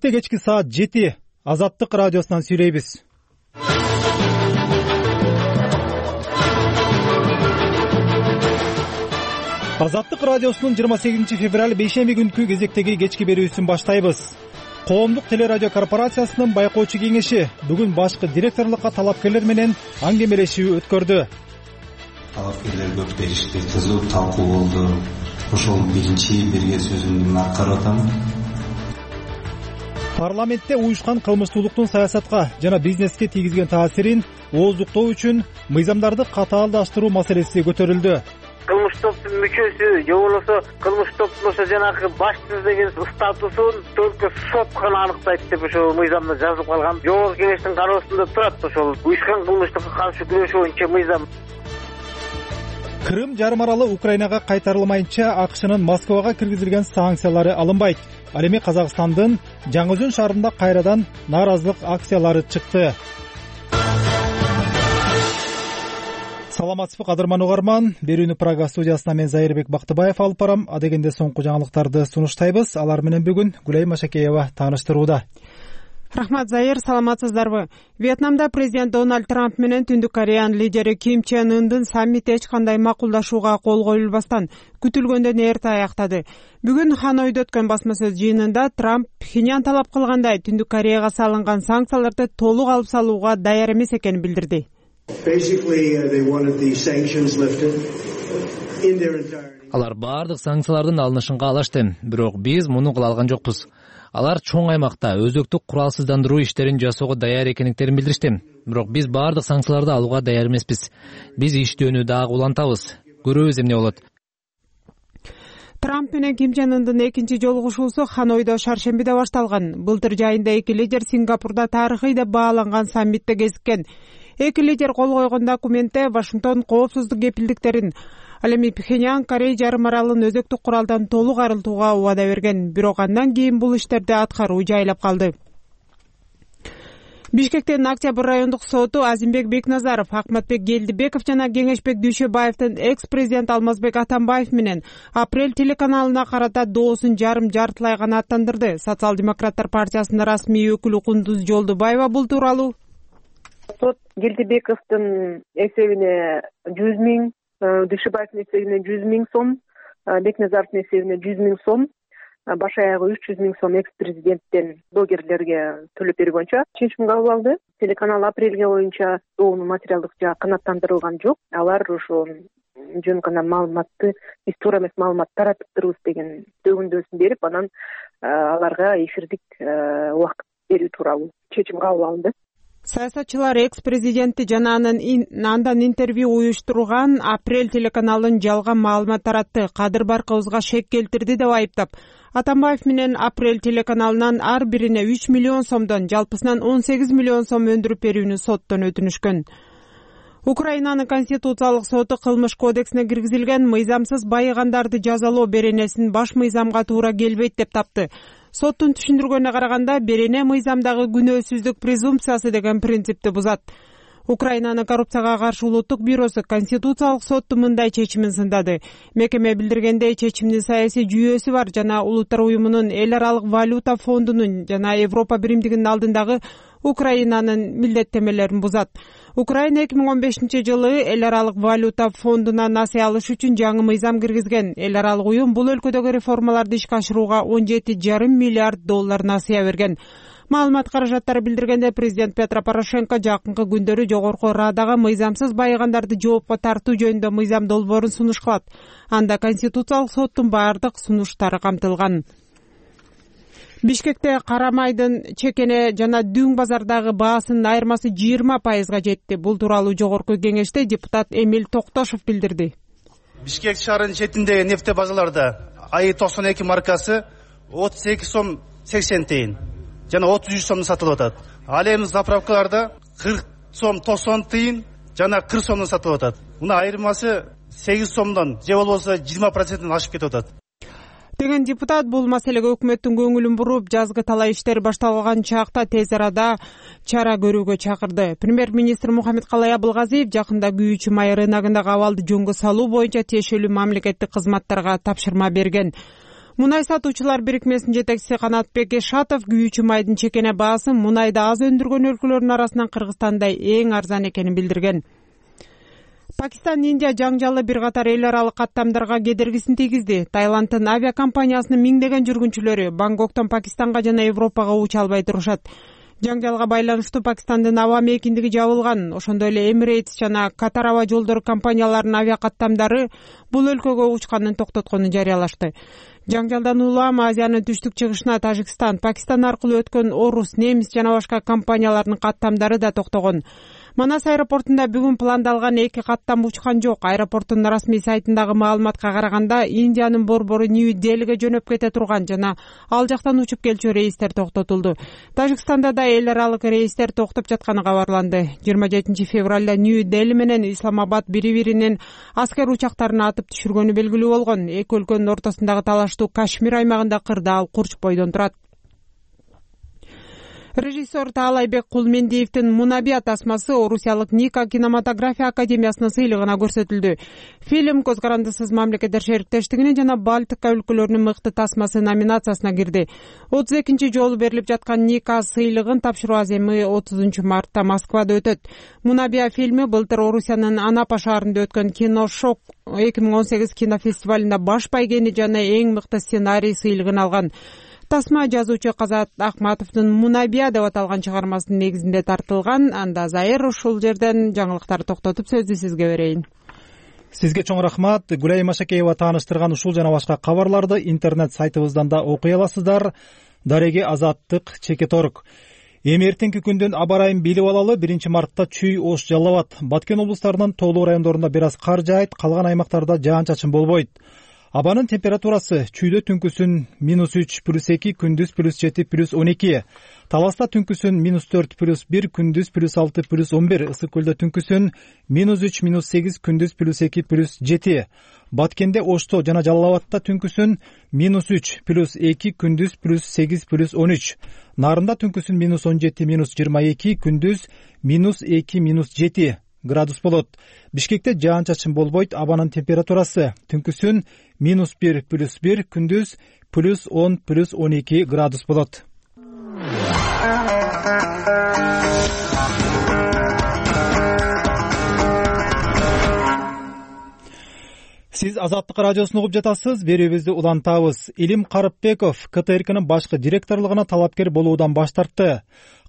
Чынчылыкта кечки саат 7 Азаттык радиосунан сүйлөйбүз. Азаттык радиосунун 28 февраль бейшемби күнкү кезектеги кечки берүүсүн баштайбыз. Коомдук телерадио корпорациясынын байкоочу кеңеши бүгүн башкы директорлукка талапкерлер менен аңгемелешүү өткөрдү. Талапкерлер көп беришти, кызуу талкуу болду. Ошол биринчи берген сөзүмдү аткарып атам. Парламентте уюшкан кылмыштуулуктун саясатка жана бизнеске тийгизген таасирин ооздуктоо үчүн мыйзамдарды катаалдаштыруу маселеси көтөрүлдү. Кылмыш топтун мүчөсү же болбосо кылмыш топтун ошо жанагы башчысы деген статусун только сот гана аныктайт деп ошол мыйзамда жазылып калган. Жогорку кеңештин кароосунда турат ошол уюшкан кылмыштыкка каршы күрөшүү боюнча мыйзам. Крым жарым аралы Украинага кайтарылмайынча АКШнын Москвага киргизилген санкциялары алынбайт. Ал эми Казакстандын Жаңы-Өзөн шаарында кайрадан нааразылык акциялары чыкты. Саламатсызбы кадырман угарман, берүүнү Прага студиясынан мен Зайырбек Бактыбаев алып барам. Адегенде соңку жаңылыктарды сунуштайбыз. Алар менен бүгүн Гүлай Машакеева тааныштырууда. Рахмат, Зайыр, саламатсыздарбы? Вьетнамда президент Дональд Трамп менен Түндүк Кореянын лидери Ким Чен Ындын саммити эч кандай макулдашууга кол коюлбастан күтүлгөндөн эрте аяктады. Бүгүн Ханойдо өткөн басма сөз жыйынында Трамп Пхеньян талап кылгандай Түндүк Кореяга салынган санкцияларды толук алып салууга даяр эмес экенин билдирди. Алар баардык санкциялардын алынышын каалашты, бирок биз муну кыла алган жокпуз. Алар чоң аймакта өзөктүк куралсыздандыруу иштерин жасоого даяр экендиктерин билдиришти. Бирок биз баардык санкцияларды алууга даяр эмеспиз. Биз иштөөнү дагы улантабыз. Көрөбүз эмне болот. Трамп менен Ким Чен Ындын экинчи жолугушуусу Ханойдо шаршембиде башталган. Былтыр жайында эки лидер Сингапурда тарыхый деп бааланган саммитте кезиккен. Эки лидер кол койгон документте Вашингтон коопсуздук кепилдиктерин, ал эми Пхеньян Корей жарым аралын өзөктүк куралдан толук арылтууга убада берген. Бирок андан кийин бул иштерди аткаруу жайлап калды. Бишкектин Октябрь райондук соту Азимбек Бекназаров, Акматбек Келдибеков жана Кеңешбек Дүйшөбаевдин экс-президент Алмазбек Атамбаев менен Апрель телеканалына карата доосун жартылай гана аттандырды. Социал-демократтар партиясынын расмий өкүлү Кундуз Жолдубаева бул тууралуу сот Келдибековдун эсебине 100 миң, Дүйшөбаевдин эсебине 100 миң сом, Бекназаровдун эсебине 100 миң сом, баш аягы 300 миң сом экс-президенттен блогерлерге төлөп берүү боюнча чечим кабыл алды. Телеканал Апрелге боюнча доонун материалдык жагы канааттандырылган жок. Алар ошо жөн гана маалыматты, биз туура эмес маалымат таратып турбуз деген төгүндөсүн берип, анан аларга эфирдик убакыт берүү тууралуу чечим кабыл алынды. Саясатчылар экс-президентти жана андан интервью уюштурган Апрель телеканалын жалган маалымат таратты, кадыр баркыбызга шек келтирди деп айыптап, Атамбаев менен Апрель телеканалынан ар бирине 3 миллион сомдон жалпысынан 18 миллион сом өндүрүп берүүнү соттон өтүнүшкөн. Украинанын Конституциялык соту кылмыш кодексине киргизилген мыйзамсыз байыгандарды жазалоо беренесин баш мыйзамга туура келбейт деп тапты. Соттун түшүндүргөнүнө караганда, берене мыйзамдагы күнөөсүздүк презумпциясы деген принципти бузат. Украинанын коррупцияга каршы улуттук бюросу Конституциялык соттун мындай чечимин сындады. Мекеме билдиргендей, чечимдин саясий жүйөсү бар жана Улуттар уюмунун, Эл аралык валюта фондунун жана Европа биримдигинин алдындагы Украинанын милдеттемелерин бузат. Украина 2015-жылы Эл аралык валюта фондуна насыя алыш үчүн жаңы мыйзам киргизген. Эл аралык уюм бул өлкөдөгү реформаларды ишке ашырууга 17,5 миллиард доллар насыя берген. Маалымат каражаттары билдиргенде, президент Петро Порошенко жакынкы күндөрү Жогорку Радага мыйзамсыз байыгандарды жоопко тартуу жөнүндө мыйзам долбоорун сунуш кылат. Анда Конституциялык соттун баардык сунуштары камтылган. Бишкекте кара майдын чекене жана дүң базардагы баасынын айырмасы 20%га жетти. Бул тууралуу Жогорку кеңеште депутат Эмил Токтошов билдирди. Бишкек шаарынын четиндеги нефте базаларда АИ-92 маркасы 32 сом 80 тыйын жана 33 сомдон сатылып атат. Ал эми заправкаларда 40 сом 90 тыйын жана 40 сомдон сатылып атат. Муна айырмасы 8 сомдон же болбосо 20%ден ашып кетип атат. деген депутат бул маселеге өкмөттүн көңүлүн буруп, жазгы талай иштер башталган чакта тез арада чара көрүүгө чакырды. Премьер-министр Мухаммедкалай Абылгазиев жакында күйүүчү май рыногундагы абалды жөнгө салуу боюнча тиешелүү мамлекеттик кызматтарга тапшырма берген. Мунай сатуучулар бирикмесинин жетекчиси Канатбек Эшатов күйүүчү майдын чекене баасы мунайды аз өндүргөн өлкөлөрдүн арасынан Кыргызстанда эң арзан экенин билдирген. Пакистан Индия жаңжалы бир катар эл аралык каттамдарга кедергисин тийгизди. Таиланддын авиакомпаниясынын миңдеген жүргүнчүлөрү Бангкоктон Пакистанга жана Европага уча албай турушат. Жаңжалга байланыштуу Пакистандын аба мейкиндиги жабылган. Ошондой эле Emirates жана Катар аба жолдору компанияларынын авиакаттамдары бул өлкөгө учканын токтотконун жарыялашты. Жаңжалдан улам Азиянын түштүк чыгышына Тажикстан, Пакистан аркылуу өткөн орус, немис жана башка компаниялардын каттамдары да токтогон. Манас аэропортунда бүгүн пландалган 2 каттам учкан жок. Аэропорттун расмий сайтындагы маалыматка караганда, Индиянын борбору Нью-Делиге жөнөп кете турган жана ал жактан учуп келчү рейстер токтотулду. Тажикстанда да эл аралык рейстер токтоп жатканы кабарланды. 27 февралда Нью-Дели менен Исламабад бири-биринин аскер учактарын атып түшүргөнү белгилүү болгон. Эки өлкөнүн ортосундагы талаштуу Кашмир аймагында кырдаал Курч бойдон турат. Режиссер Таалайбек Кулмендиевдин Мунабия тасмасы орусиялык Ника кинематография академиясынын сыйлыгына көрсөтүлдү. Фильм Көз карандысыз мамлекеттер шериктештигинин жана Балтика өлкөлөрүнүн мыкты тасмасы номинациясына кирди. 32-нчи жолу берилип жаткан Ника сыйлыгын тапшыруу аземи 30 мартта Москвада өтөт. Мунабия фильми былтыр Орусиянын Анапа шаарында өткөн Киношок 2018 кинофестивалында баш байгени жана эң мыкты сценарий сыйлыгын алган. Тасма жазуучу Казат Акматовдун Мунабия деп аталган чыгармасынын негизинде тартылган. Анда Зайыр ушул жерден жаңылыктарды токтотуп сөздү сизге берейин. Сизге чоң рахмат. Гүлай Машакеева тааныштырган ушул жана башка кабарларды интернет сайтыбыздан да окуй аласыздар. Дареги Азаттык Чекеторг. Эми эртеңки күндөн аба ырайын билип алалы. 1 мартта чүй, Ош, Жалал Абад, Баткен облустарынын тоолуу райондорунда бир аз кар жаайт, калган аймактарда жаан-чачын болбойт. Абанын температурасы чүйдө түнкүсүн -3 +2, күндүз +7 +12. Таласта түнкүсүн -4 +1, күндүз +6 +11. Ысык көлдө түнкүсүн -3 -8, күндүз +2 +7. Баткенде, Ошто жана Жалал Абадта түнкүсүн -3 +2, күндүз +8 +13. Нарында түнкүсүн -17 -22, күндүз -2 -7 градус болот. Бишкекте жаан-чачын болбойт. Абанын температурасы түнкүсүн -1 +1, күндүз +10 +12 градус болот. Сиз Азаттык радиосун угуп жатасыз. Берүүбүздү улантабыз. Илим Карыпбеков КТРКнын башкы директорлугуна талапкер болуудан баш тартты.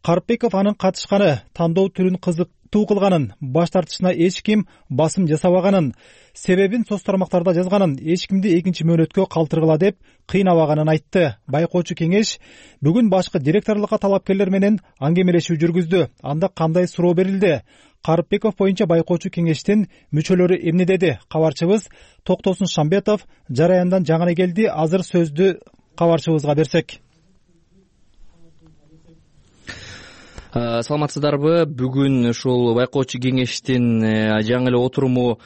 Карыпбеков анын катышканы, тандоо түрүн кызыктуу кылганын, баш тартышына эч ким басым жасабаганын, себебин соц тармактарда жазганын, эч кимди экинчи мөөнөткө калтыргыла деп кыйнабаганын айтты. Байкоочу кеңеш бүгүн башкы директорлукка талапкерлер менен аңгемелешүү жүргүздү. Анда кандай суроо берилди? Карыпбеков боюнча байкоочу кеңештин мүчөлөрү эмне деди? Кабарчыбыз Токтосун Шамбетов жараяндан жаңы келди. Азыр сөздү кабарчыбызга берсек. Саламатсыздарбы? Бүгүн ушул байкоочу кеңештин жаңы эле отуруму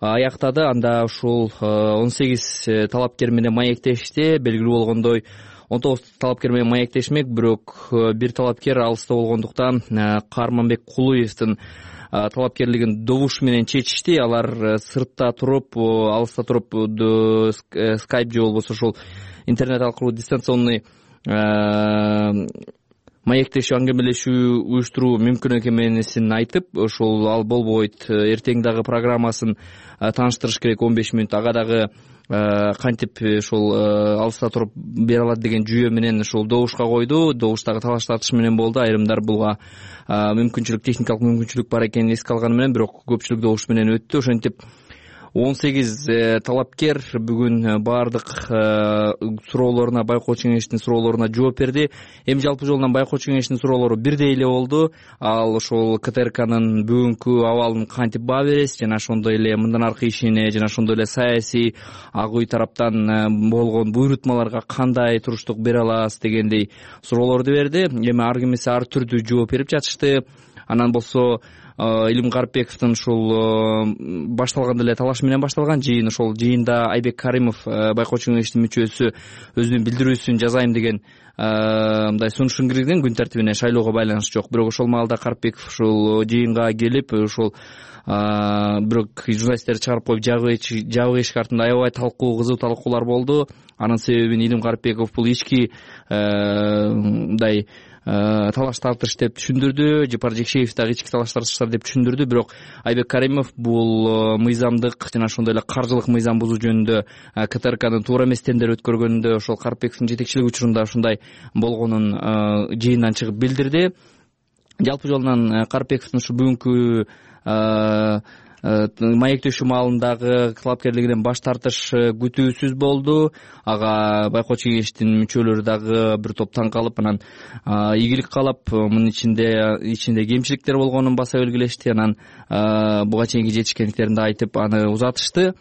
аяктады. Анда ушул 18 талапкер менен маектешти. Белгилүү болгондой 19 талапкер менен маектешмек, бирок бир талапкер алыста болгондуктан Карманбек Кулуевдин талапкерлигин добуш менен чечишти. Алар сыртта туруп, алыста туруп скайп же болбосо ушул интернет аркылуу дистанционный маектешүү, аңгемелешүү уюштуруу мүмкүн экенин айтып, ошол ал болбойт, эртең дагы программасын тааныштырыш керек 15 мүнөт, ага дагы кантип ошол алыста туруп бере алат деген жүйө менен ошол добушка койду. Добуштагы талаш тартыш менен болду. Айрымдар буга мүмкүнчүлүк, техникалык мүмкүнчүлүк бар экенин эске алганы менен, бирок көпчүлүк добуш менен өттү. Ошентип 18 талапкер бүгүн баардык суроолоруна, байкоочу кеңештин суроолоруна жооп берди. Эми жалпы жолунан байкоочу кеңештин суроолору бирдей эле болду. Ал ошол КТРКнын бүгүнкү абалын кантип баа бересиз жана ошондой эле мындан аркы ишине жана ошондой эле саясий ак үй тараптан болгон буйрутмаларга кандай туруштук бере аласыз дегендей суроолорду берди. Эми ар кимиси ар түрдүү жооп берип жатышты. Анан болсо Илим Карипбековдун ушул башталганда эле талаш менен башталган жыйын. Ошол жыйында Айбек Каримов байкоочу кеңештин мүчөсү өзүнүн билдирүүсүн жазайм деген мындай сунушун киргизген, күн тартибине шайлоого байланышы жок. Бирок ошол маалда Карипбеков ушул жыйынга келип ушул бирок журналисттерди чыгарып коюп жабык эшик артында аябай кызуу талкуулар болду. Анын себебин Илим Карипбеков бул ички мындай талаш тартыш деп түшүндүрдү. Жапар Жекшеев дагы ички талаш тартыштар деп түшүндүрдү. Бирок Айбек Каримов бул мыйзамдык жана ошондой эле каржылык мыйзам бузуу жөнүндө КТРКнын туура эмес тендер өткөргөнүндө ошол Карипбековдун жетекчилиги учурунда ушундай болгонун жыйындан чыгып билдирди. Жалпы жолунан Карипбековдун ушу бүгүнкү маектешүү маалындагы талапкерлигинен баш тартыш күтүүсүз болду. Ага байкоочу кеңештин мүчөлөрү дагы бир топ таң калып, анан ийгилик каалап, мунун ичинде кемчиликтер болгонун баса белгилешти. Анан буга чейинки жетишкендиктерин да айтып, аны узатышты.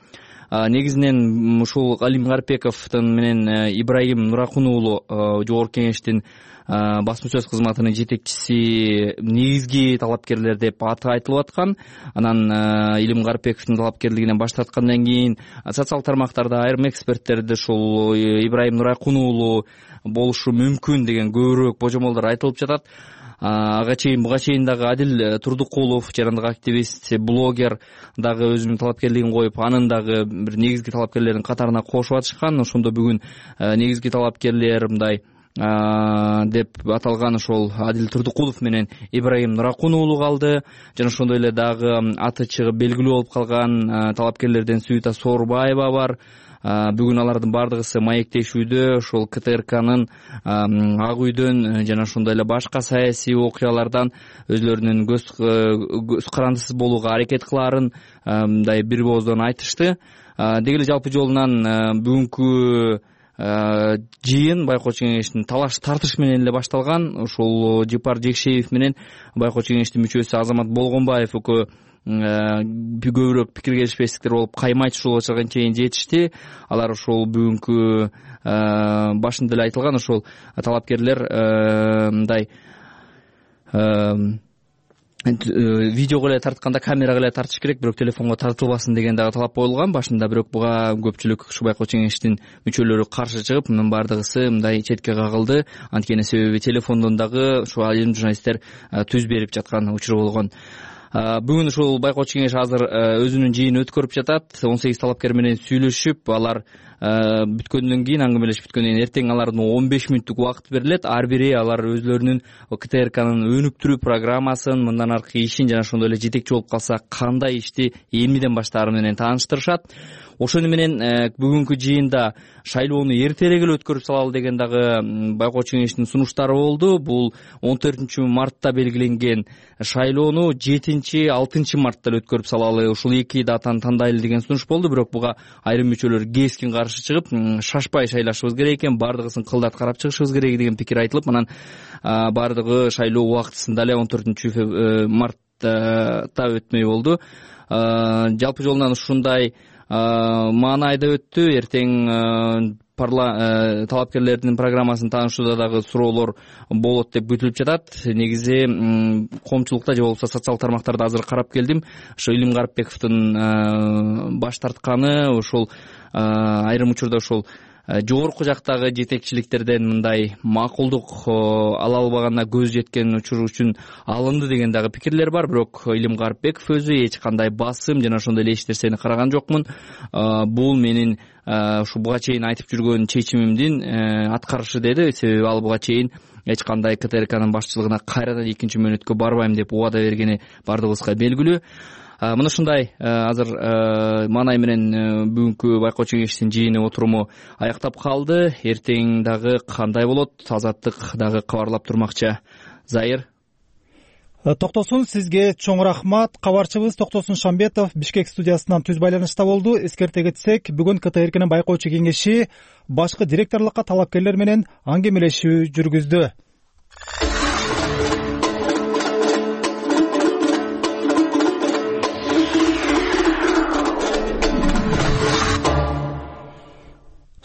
Негизинен ушул Илим Карипбековдун менен Ибрайым Нуракун уулу жогорку кеңештин басма сөз кызматынын жетекчиси негизги талапкерлер деп аты айтылып аткан. Анан Илим Карипбековдун талапкерлигинен баш тарткандан кийин социал тармактарда айрым эксперттерди ушул Ибрайым Нуракун уулу болушу мүмкүн деген көбүрөөк божомолдор айтылып жатат. Буга чейин дагы Адил Турдукулов, жарандык активист, блогер дагы өзүнүн талапкерлигин коюп, анын дагы бир негизги талапкерлердин катарына кошуп атышкан. Ошондо бүгүн негизги талапкерлер мындай деп аталган ошол Адил Турдукулов менен Ибрайым Нуракун уулу калды. Жана ошондой эле дагы аты чыгып белгилүү болуп калган талапкерлерден Сүйүта Соорбаева бар. Бүгүн алардын бардыгысы маектешүүдө ошол КТРКнын Ак үйдөн жана ошондой эле башка саясий окуялардан өзлөрүнүн көз карандысыз болууга аракет кылаарын мындай бир ооздон айтышты. Деги эле жалпы жолунан бүгүнкү жыйын байкоочу кеңештин талаш тартыш менен эле башталган. Ошол Жапар Жекшеев менен байкоочу кеңештин мүчөсү Азамат Болгонбаев экөө көбүрөөк пикир келишпестиктер болуп, каймайт ушул учурга чейин жетишти. Алар ошол бүгүнкү башында эле айтылган ошол талапкерлер мындай видеого эле тартканда камерага эле тартыш керек, бирок телефонго тартылбасын деген дагы талап коюлган башында. Бирок буга көпчүлүк ушу байкоочу кеңештин мүчөлөрү каршы чыгып, мунун бардыгысы мындай четке кагылды. Анткени себеби телефондон дагы ушу айрым журналисттер түз берип жаткан учур болгон. Бүгүн ушул байкоочу кеңеш азыр өзүнүн жыйынын өткөрүп жатат. 18 талапкер менен сүйлөшүп, алар бүткөндөн кийин, аңгемелешип бүткөндөн кийин эртең алардын 15 мүнөттүк убакыт берилет. Ар бири алар өзлөрүнүн КТРКнын өнүктүрүү программасын, мындан аркы ишин жана ошондой эле жетекчи болуп калса кандай ишти эмнеден баштаары менен тааныштырышат. Ошону менен бүгүнкү жыйында шайлоону эртерээк эле өткөрүп салалы деген дагы байкоочу кеңештин сунуштары болду. Бул 14 мартта белгиленген шайлоону 7-6 мартта эле өткөрүп салалы, ушул эки датаны тандайлы деген сунуш болду. Бирок буга айрым мүчөлөр кескин каршы чыгып, шашпай шайлашыбыз керек экен, бардыгысын кылдат карап чыгышыбыз керек деген пикир айтылып, анан бардыгы шайлоо убактысында эле 14 мартта өтмөй болду. Жалпы жолунан ушундай маанайда өттү. Эртең талапкерлердин программасын таанышууда дагы суроолор болот деп күтүлүп жатат. Негизи коомчулукта же болбосо социал тармактарда азыр карап келдим. Ошо Илим Карипбековдун баш тартканы ошол айрым учурда ошол жогорку жактагы жетекчиликтерден мындай макулдук ала албаганына көз жеткен учур үчүн алынды деген дагы пикирлер бар. Бирок Илим Карипбеков өзү эч кандай басым жана ошондой эле эч нерсени караган жокмун. Бул менин ушу буга чейин айтып жүргөн чечимимдин аткарышы деди. Себеби ал буга чейин эч кандай КТРКнын башчылыгына кайрадан экинчи мөөнөткө барбайм деп убада бергени бардыгыбызга белгилүү. Мына ушундай азыр маанай менен бүгүнкү байкоочу кеңештин жыйыны отуруму аяктап калды. Эртең дагы кандай болот, Азаттык дагы кабарлап турмакчы. Зайыр. Токтосун, сизге чоң рахмат. Кабарчыбыз Токтосун Шамбетов Бишкек студиясынан түз байланышта болду. Эскерте кетсек, бүгүн КТРКнын байкоочу кеңеши башкы директорлукка талапкерлер менен аңгемелешүү жүргүздү.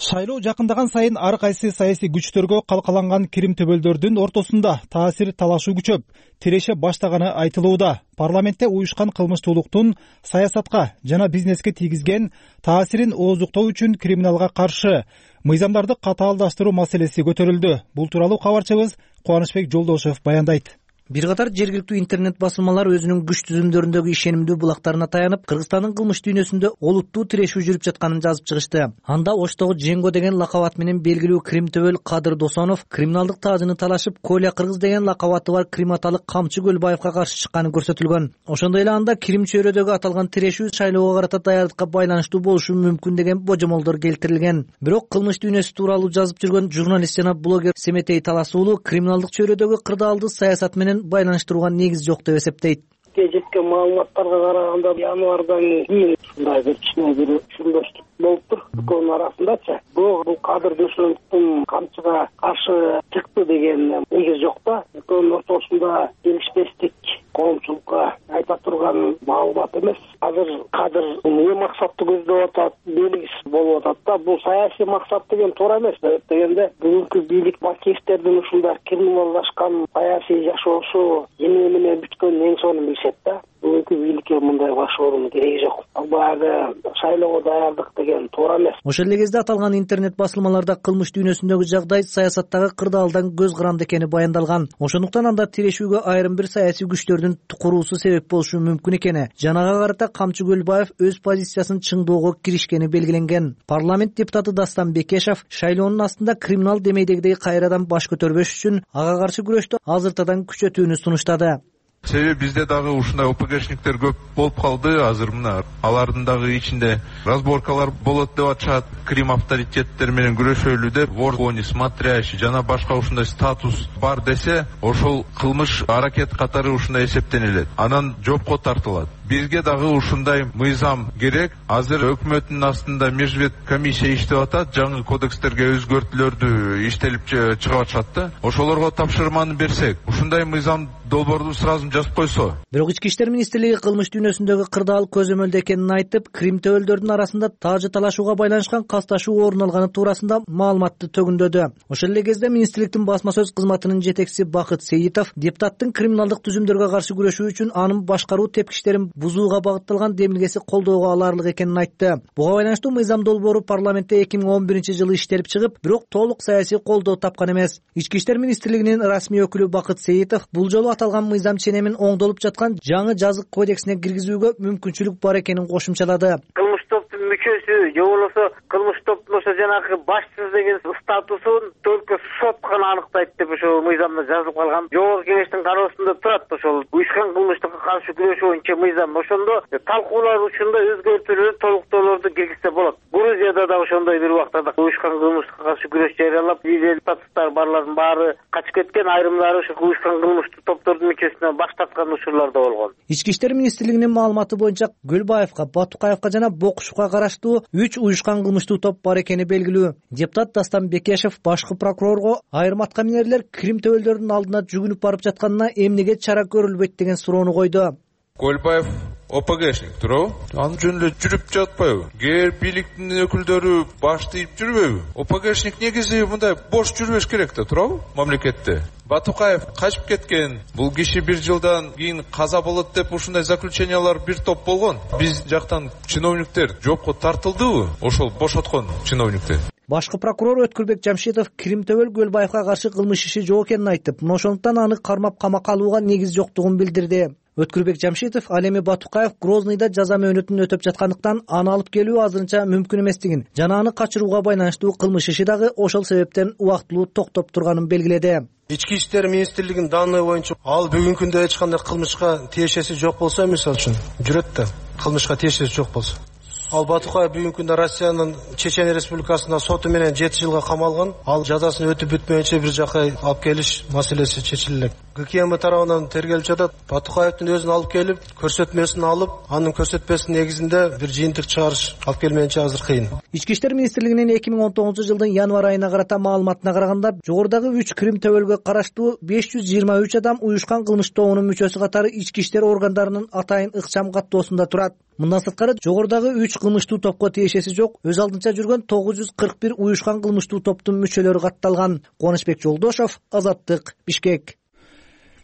Шайлоо жакындаган сайын ар кайсы саясий күчтөргө калкаланган кирим төбөлдөрдүн ортосунда таасир талашуу күчөп, тиреше баштаганы айтылууда. Парламентте уюшкан кылмыштуулуктун саясатка жана бизнеске тийгизген таасирин ооздуктоо үчүн криминалга каршы мыйзамдарды катаалдаштыруу маселеси көтөрүлдү. Бул тууралуу кабарчыбыз Кубанычбек Жолдошев баяндайт. Бир катар жергиликтүү интернет басылмалар өзүнүн күч түзүмдөрүндөгү ишенимдүү булактарына таянып, Кыргызстандын кылмыш дүйнөсүндө олуттуу тирешүү жүрүп жатканын жазып чыгышты. Анда Оштогу Женго деген лакап ат менен белгилүү крим төбөл Кадыр Досонов криминалдык таажыны талашып, Коля Кыргыз деген лакап аты бар крим аталык Камчы Көлбаевка каршы чыкканы көрсөтүлгөн. Ошондой эле анда крим чөйрөдөгү аталган тирешүү шайлоого карата даярдыкка байланыштуу болушу мүмкүн деген божомолдор келтирилген. Бирок кылмыш дүйнөсү тууралуу жазып жүргөн журналист жана блогер Семетей Таласуулу криминалдык чөйрөдөгү кырдаалды саясат менен байланыштырууга негиз жок деп эсептейт. Жеткен маалыматтарга караганда январдан кийин ушундай бир кичине бир түшүнбөчтүк болуптур экөөнүн арасындачы. Бул Кадыр Досоновдун камчыга каршы чыкты деген негиз жок да. Экөөнүн ортосунда келишпестик коомчулукка айта турган маалымат эмес. Азыр Кадыр эмне максатты көздөп атат, белгисиз болуп атат да. Бул саясий максат деген туура эмес. Дегенде бүгүнкү бийлик макиевтердин ушундай криминалдашкан саясий жашоосу эмне менен бүткөнүн эң сонун билишет да. Бүгүнкү бийликке мындай башоорунун кереги жок. Баягы шайлоого даярдык деген туура эмес. Ошол эле кезде аталган интернет басылмаларда кылмыш дүйнөсүндөгү жагдай саясаттагы кырдаалдан көз каранды экени баяндалган. Ошондуктан анда тирешүүгө айрым бир саясий күчтөрдүн куруусу себеп болушу мүмкүн экени, жанага карата Камчы Көлбаев өз позициясын чыңдоого киришкени белгиленген. Парламент депутаты Дастан Бекешев шайлоонун астында криминал демейдегидей кайрадан баш көтөрбөш үчүн ага каршы күрөштү азыртадан күчөтүүнү сунуштады. Себеби бизде дагы ушундай ОПГшниктер көп болуп калды. Азыр мына алардын дагы ичинде разборкалар болот деп атышат. Крим авторитеттер менен күрөшөлү деп воргони, смотрящий жана башка ушундай статус бар десе, ошол кылмыш аракет катары ушундай эсептенилет. Анан жоопко тартылат. Бизге дагы ушундай мыйзам керек. Азыр өкмөттүн астында межвет комиссия иштеп атат. Жаңы кодекстерге өзгөртүүлөрдү иштелип чыгып атышат да. Ошолорго тапшырманы берсек, ушундай мыйзам долбоорду сразу жазып койсо. Бирок Ички иштер министрлиги кылмыш дүйнөсүндөгү кырдаал көзөмөлдө экенин айтып, крим төбөлдөрдүн арасында таажы талашууга байланышкан касташуу орун алганы туурасында маалыматты төгүндөдү. Ошол эле кезде министрликтин басма сөз кызматынын жетекчиси Бакыт Сейитов депутаттын криминалдык түзүмдөргө каршы күрөшүү үчүн анын башкаруу тепкичтерин бузууга багытталган демилгеси колдоого алаарлык экенин айтты. Буга байланыштуу мыйзам долбоору парламентте 2011-жылы иштелип чыгып, бирок толук саясий колдоо тапкан эмес. Ички иштер министрлигинин расмий өкүлү Бакыт Сейитов бул жолу аталган мыйзам ченемин оңдолуп жаткан жаңы жазык кодексине киргизүүгө мүмкүнчүлүк бар экенин кошумчалады. Кылмыш топтун мүчөсү же болбосо кылмыш топтун ошо жанагы башчысы деген статусун только сот гана аныктайт деп ошол мыйзамда жазылып калган. Жогорку кеңештин кароосунда турат ошол уюшкан кылмыштыкка каршы күрөшүү боюнча мыйзам. Ошондо талкуулар учурунда өзгөртүүлөр, толуктоолорду киргизсе болот. Грузияда да ошондой бир убактарда уюшкан кылмыштыкка каршы күрөш жарыялап, статустар барлардын баары качып кеткен, айрымдары ошо уюшкан кылмыштык топтордун мүчөсүнөн баш тарткан учурлар да болгон. Ички иштер министрлигинин маалыматы боюнча Көлбаевка, Батукаевка жана Бокушевка караштуу 3 уюшкан кылмыштуу топ бар экени белгилүү. Депутат Дастан Бекешев башкы прокурорго айрым аткаминерлер крим төбөлдөрдүн алдына жүгүнүп барып жатканына эмнеге чара көрүлбөйт деген суроону койду. Көлбаев ОПГшник туурабы? Анын жөн эле жүрүп жатпайбы? Кээ бийликтин өкүлдөрү баш тийип жүрбөйбү? ОПГшник негизи мындай бош жүрбөш керек да, туурабы? Мамлекетте. Батукаев качып кеткен. Бул киши бир жылдан кийин каза болот деп ушундай заключениялар бир топ болгон. Биз жактан чиновниктер жоопко тартылдыбы? Ошол бошоткон чиновниктер. Башкы прокурор Өткүрбек Жамшитов крим төбөл Көлбаевка каршы кылмыш иши жок экенин айтып, ошондуктан аны кармап камакка алууга негиз жоктугун билдирди. Өткүрбек Жамшитов ал эми Батукаев Грознойдо жаза мөөнөтүн өтөп жаткандыктан аны алып келүү азырынча мүмкүн эместигин жана аны качырууга байланыштуу кылмыш иши дагы ошол себептен убактылуу токтоп турганын белгиледи. Ички иштер министрлигинин данные боюнча ал бүгүнкү күндө эч кандай кылмышка тиешеси жок болсо, мисалы үчүн жүрөт да, кылмышка тиешеси жок болсо. Ал Батукаев бүгүнкү күндө Россиянын Чечен Республикасында соту менен 7 жылга камалган. Ал жазасын өтүп бүтмөйүнчө бир жака алып келиш маселеси чечилет. ГКМ тарабынан тергелип жатат. Батукаевдин өзүн алып келип, көрсөтмөсүн алып, анын көрсөтмөсүнүн негизинде бир жыйынтык чыгарыш алып келмейинче азыр кыйын. Ички иштер министрлигинин 2019-жылдын январь айына карата маалыматына караганда, жогорудагы 3 крим төбөлгө караштуу 523 адам уюшкан кылмыш тобунун мүчөсү катары ички иштер органдарынын атайын ыкчам каттоосунда турат. Мындан сырткары жогорудагы 3 кылмыштуу топко тиешеси жок, өз алдынча жүргөн 941 уюшкан кылмыштуу топтун мүчөлөрү катталган. Кубанычбек Жолдошов, Азаттык, Бишкек.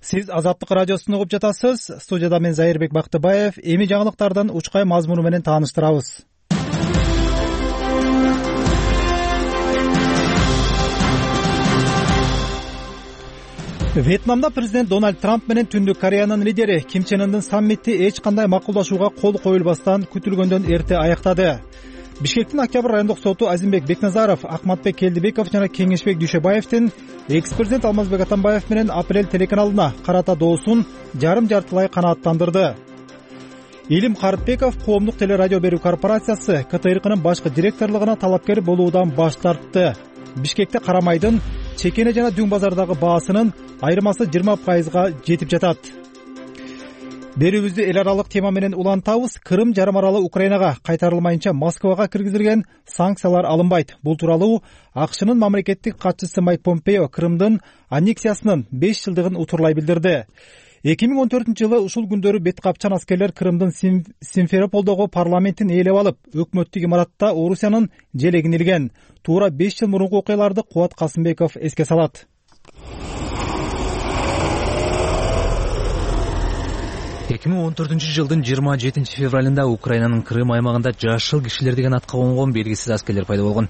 Сиз Азаттык радиосун угуп жатасыз. Студияда мен Зайырбек Бактыбаев. Эми жаңылыктардан учкай мазмуну менен тааныштырабыз. Вьетнамда президент Дональд Трамп менен Түндүк Кореянын лидери Ким Чен Ындын саммити эч кандай макулдашууга кол коюлбастан күтүлгөндөн эрте аяктады. Бишкектин Октябрь райондук соту Азимбек Бекназаров, Акматбек Келдибеков жана Кеңешбек Дүйшөбаевдин экс-президент Алмазбек Атамбаев менен Апрель телеканалына карата доосун жарым-жартылай канааттандырды. Илим Карытбеков коомдук телерадио берүү корпорациясы КТРКнын башкы директорлугуна талапкер болуудан баш тартты. Бишкекте карамайдын чекене жана дүң базардагы баасынын айырмасы 20%га жетип жатат. Берүүбүздү эл аралык тема менен улантабыз. Крым жарым аралы Украинага кайтарылмайынча Москвага киргизилген санкциялар алынбайт. Бул тууралуу АКШнын мамлекеттик катчысы Майк Помпео Крымдын аннексиясынын 5 жылдыгын утурлай билдирди. 2014-жылы ушул күндөрү бет капчан аскерлер Крымдын Симферополдогу парламентин ээлеп алып, өкмөттүк имаратта Орусиянын желегин илген. Туура 5 жыл мурунку окуяларды Кубат Касымбеков эске салат. 2014-жылдын 27 февралында Украинанын Крым аймагында жашыл кишилер деген атка конгон белгисиз аскерлер пайда болгон.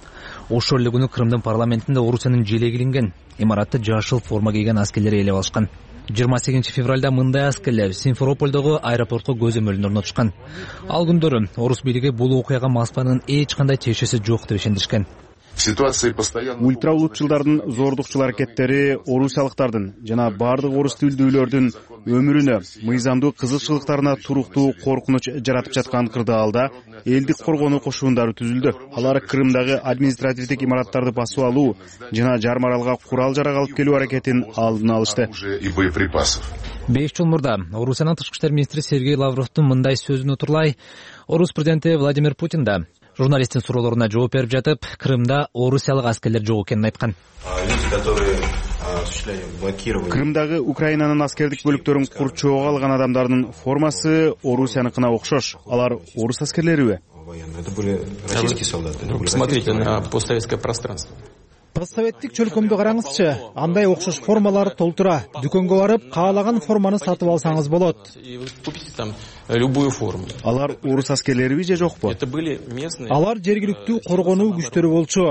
Ошол эле күнү Крымдын парламентинде Орусиянын желеги илинген. Имаратты жашыл форма кийген аскерлер ээлеп алышкан. 28 февралда мындай аскерлер Симферопольдогу аэропортко көзөмөлүн орнотушкан. Ал күндөрү орус бийлиги бул окуяга Москванын эч кандай тиешеси жок деп ишендиришкен. Ультраулутчулдардын зордукчул аракеттери орусиялыктардын жана бардык орус тилдүүлөрдүн өмүрүнө, мыйзамдуу кызыкчылыктарына туруктуу коркунуч жаратып жаткан кырдаалда элдик коргонуу кошуундары түзүлдү. Алар Крымдагы административдик имараттарды басып алуу жана жарым аралга курал-жарак алып келүү аракетин алдын алышты. 5 жыл мурда Орусиянын тышкы иштер министри Сергей Лавровдун мындай сөзүн утурлай, орус президенти Владимир Путин да журналисттин суроолоруна жооп берип жатып, Крымда орусиялык аскерлер жок экенин айткан. Крымдагы Украинанын аскердик бөлүктөрүн курчоого алган адамдардын формасы Орусияныкына окшош. Алар орус аскерлериби? Посмотрите на постсоветское пространство. Постсоветтик чөлкөмдү караңызчы. Андай окшош формалар толтура. Дүкөнгө барып, каалаган форманы сатып алсаңыз болот. Любую форму. Алар орус аскерлериби же жокпу? Алар жергиликтүү коргонуу күчтөрү болчу.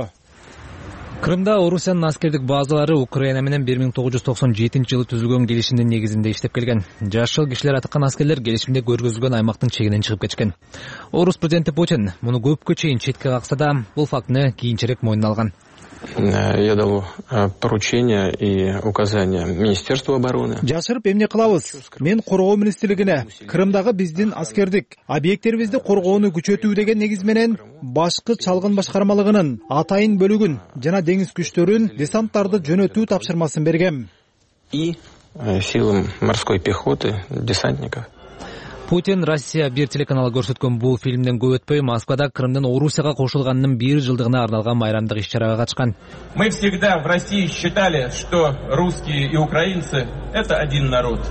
Крымда Орусиянын аскердик базалары Украина менен 1997-жылы түзүлгөн келишимдин негизинде иштеп келген. Жашыл кишилер атыккан аскерлер келишимде көргөзүлгөн аймактын чегинен чыгып кетишкен. Орус президенти Путин муну көпкө чейин четке какса да, бул фактыны кийинчерээк мойнуна алган. Я дал поручение и указания Министерству обороны. Жашырып эмне кылабыз? Мен коргоо министрлигине Крымдагы биздин аскердик объекттерибизди коргоону күчөтүү деген негиз менен башкы чалгын башкармалыгынын атайын бөлүгүн жана деңиз күчтөрүн, десанттарды жөнөтүү тапшырмасын бергем. И силам морской пехоты, десантников. Путин Россия 1 телеканалы көрсөткөн бул фильмден көп өтпөй Москвада Крымдын Орусияга кошулганынын 1 жылдыгына арналган майрамдык иш-чарага катышкан. Мы всегда в России считали, что русские и украинцы — это один народ.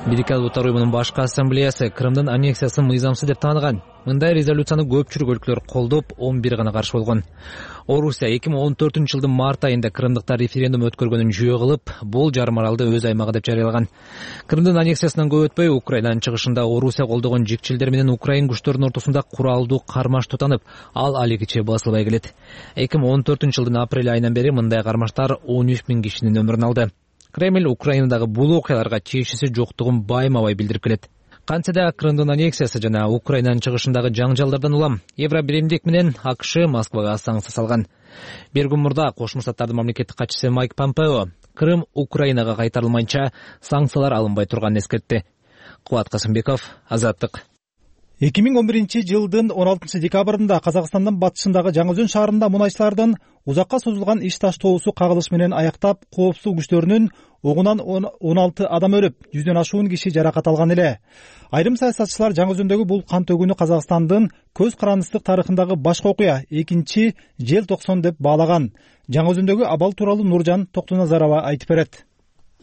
Бирикет Улуттар уюмунун башкы ассамблеясы Крымдын аннексиясын мыйзамсыз деп тааныган. Мындай резолюцияны көпчүлүк өлкөлөр колдоп, 11 гана каршы болгон. Орусия 2014-жылдын март айында Крымдыктар референдум өткөргөнүн жүйө кылып, бул жарым аралды өз аймагы деп жарыялаган. Крымдын аннексиясынан көп өтпөй Украинанын чыгышында Орусия колдогон жикчилдер менен Украин күчтөрүнүн ортосунда куралдуу кармаш тутанып, ал алигиче басылбай келет. 2014-жылдын апрель айынан бери мындай кармаштар 13 000 кишинин өмүрүн алды. Кремль Украинадагы бул окуяларга чечиси жоктугун байма-бай билдирип келет. Кантсе да Крымдын аннексиясы жана Украинанын чыгышындагы жаңжалдардан улам Евробиримдик менен АКШ Москвага санкция салган. Бир күн мурда Кошмо Штаттардын мамлекеттик катчысы Майк Помпео Крым Украинага кайтарылмайынча санкциялар алынбай турганын эскертти. Кубат Касымбеков, Азаттык. 2011-жылдын 16 декабрында Казакстандын батышындагы Жаңы-Өзөн шаарында мунайчылардын узакка созулган иш таштоосу кагылыш менен аяктап, коопсуздук күчтөрүнүн огунан 16 адам өлүп, 100дөн ашуун киши жаракат алган эле. Айрым саясатчылар Жаңы-Өзөндөгү бул кан төгүүнү Казакстандын көз карандысыздык тарыхындагы башкы окуя, экинчи желтоксон деп баалаган. Жаңы-Өзөндөгү абал тууралуу Нуржан Токтоназарова айтып берет.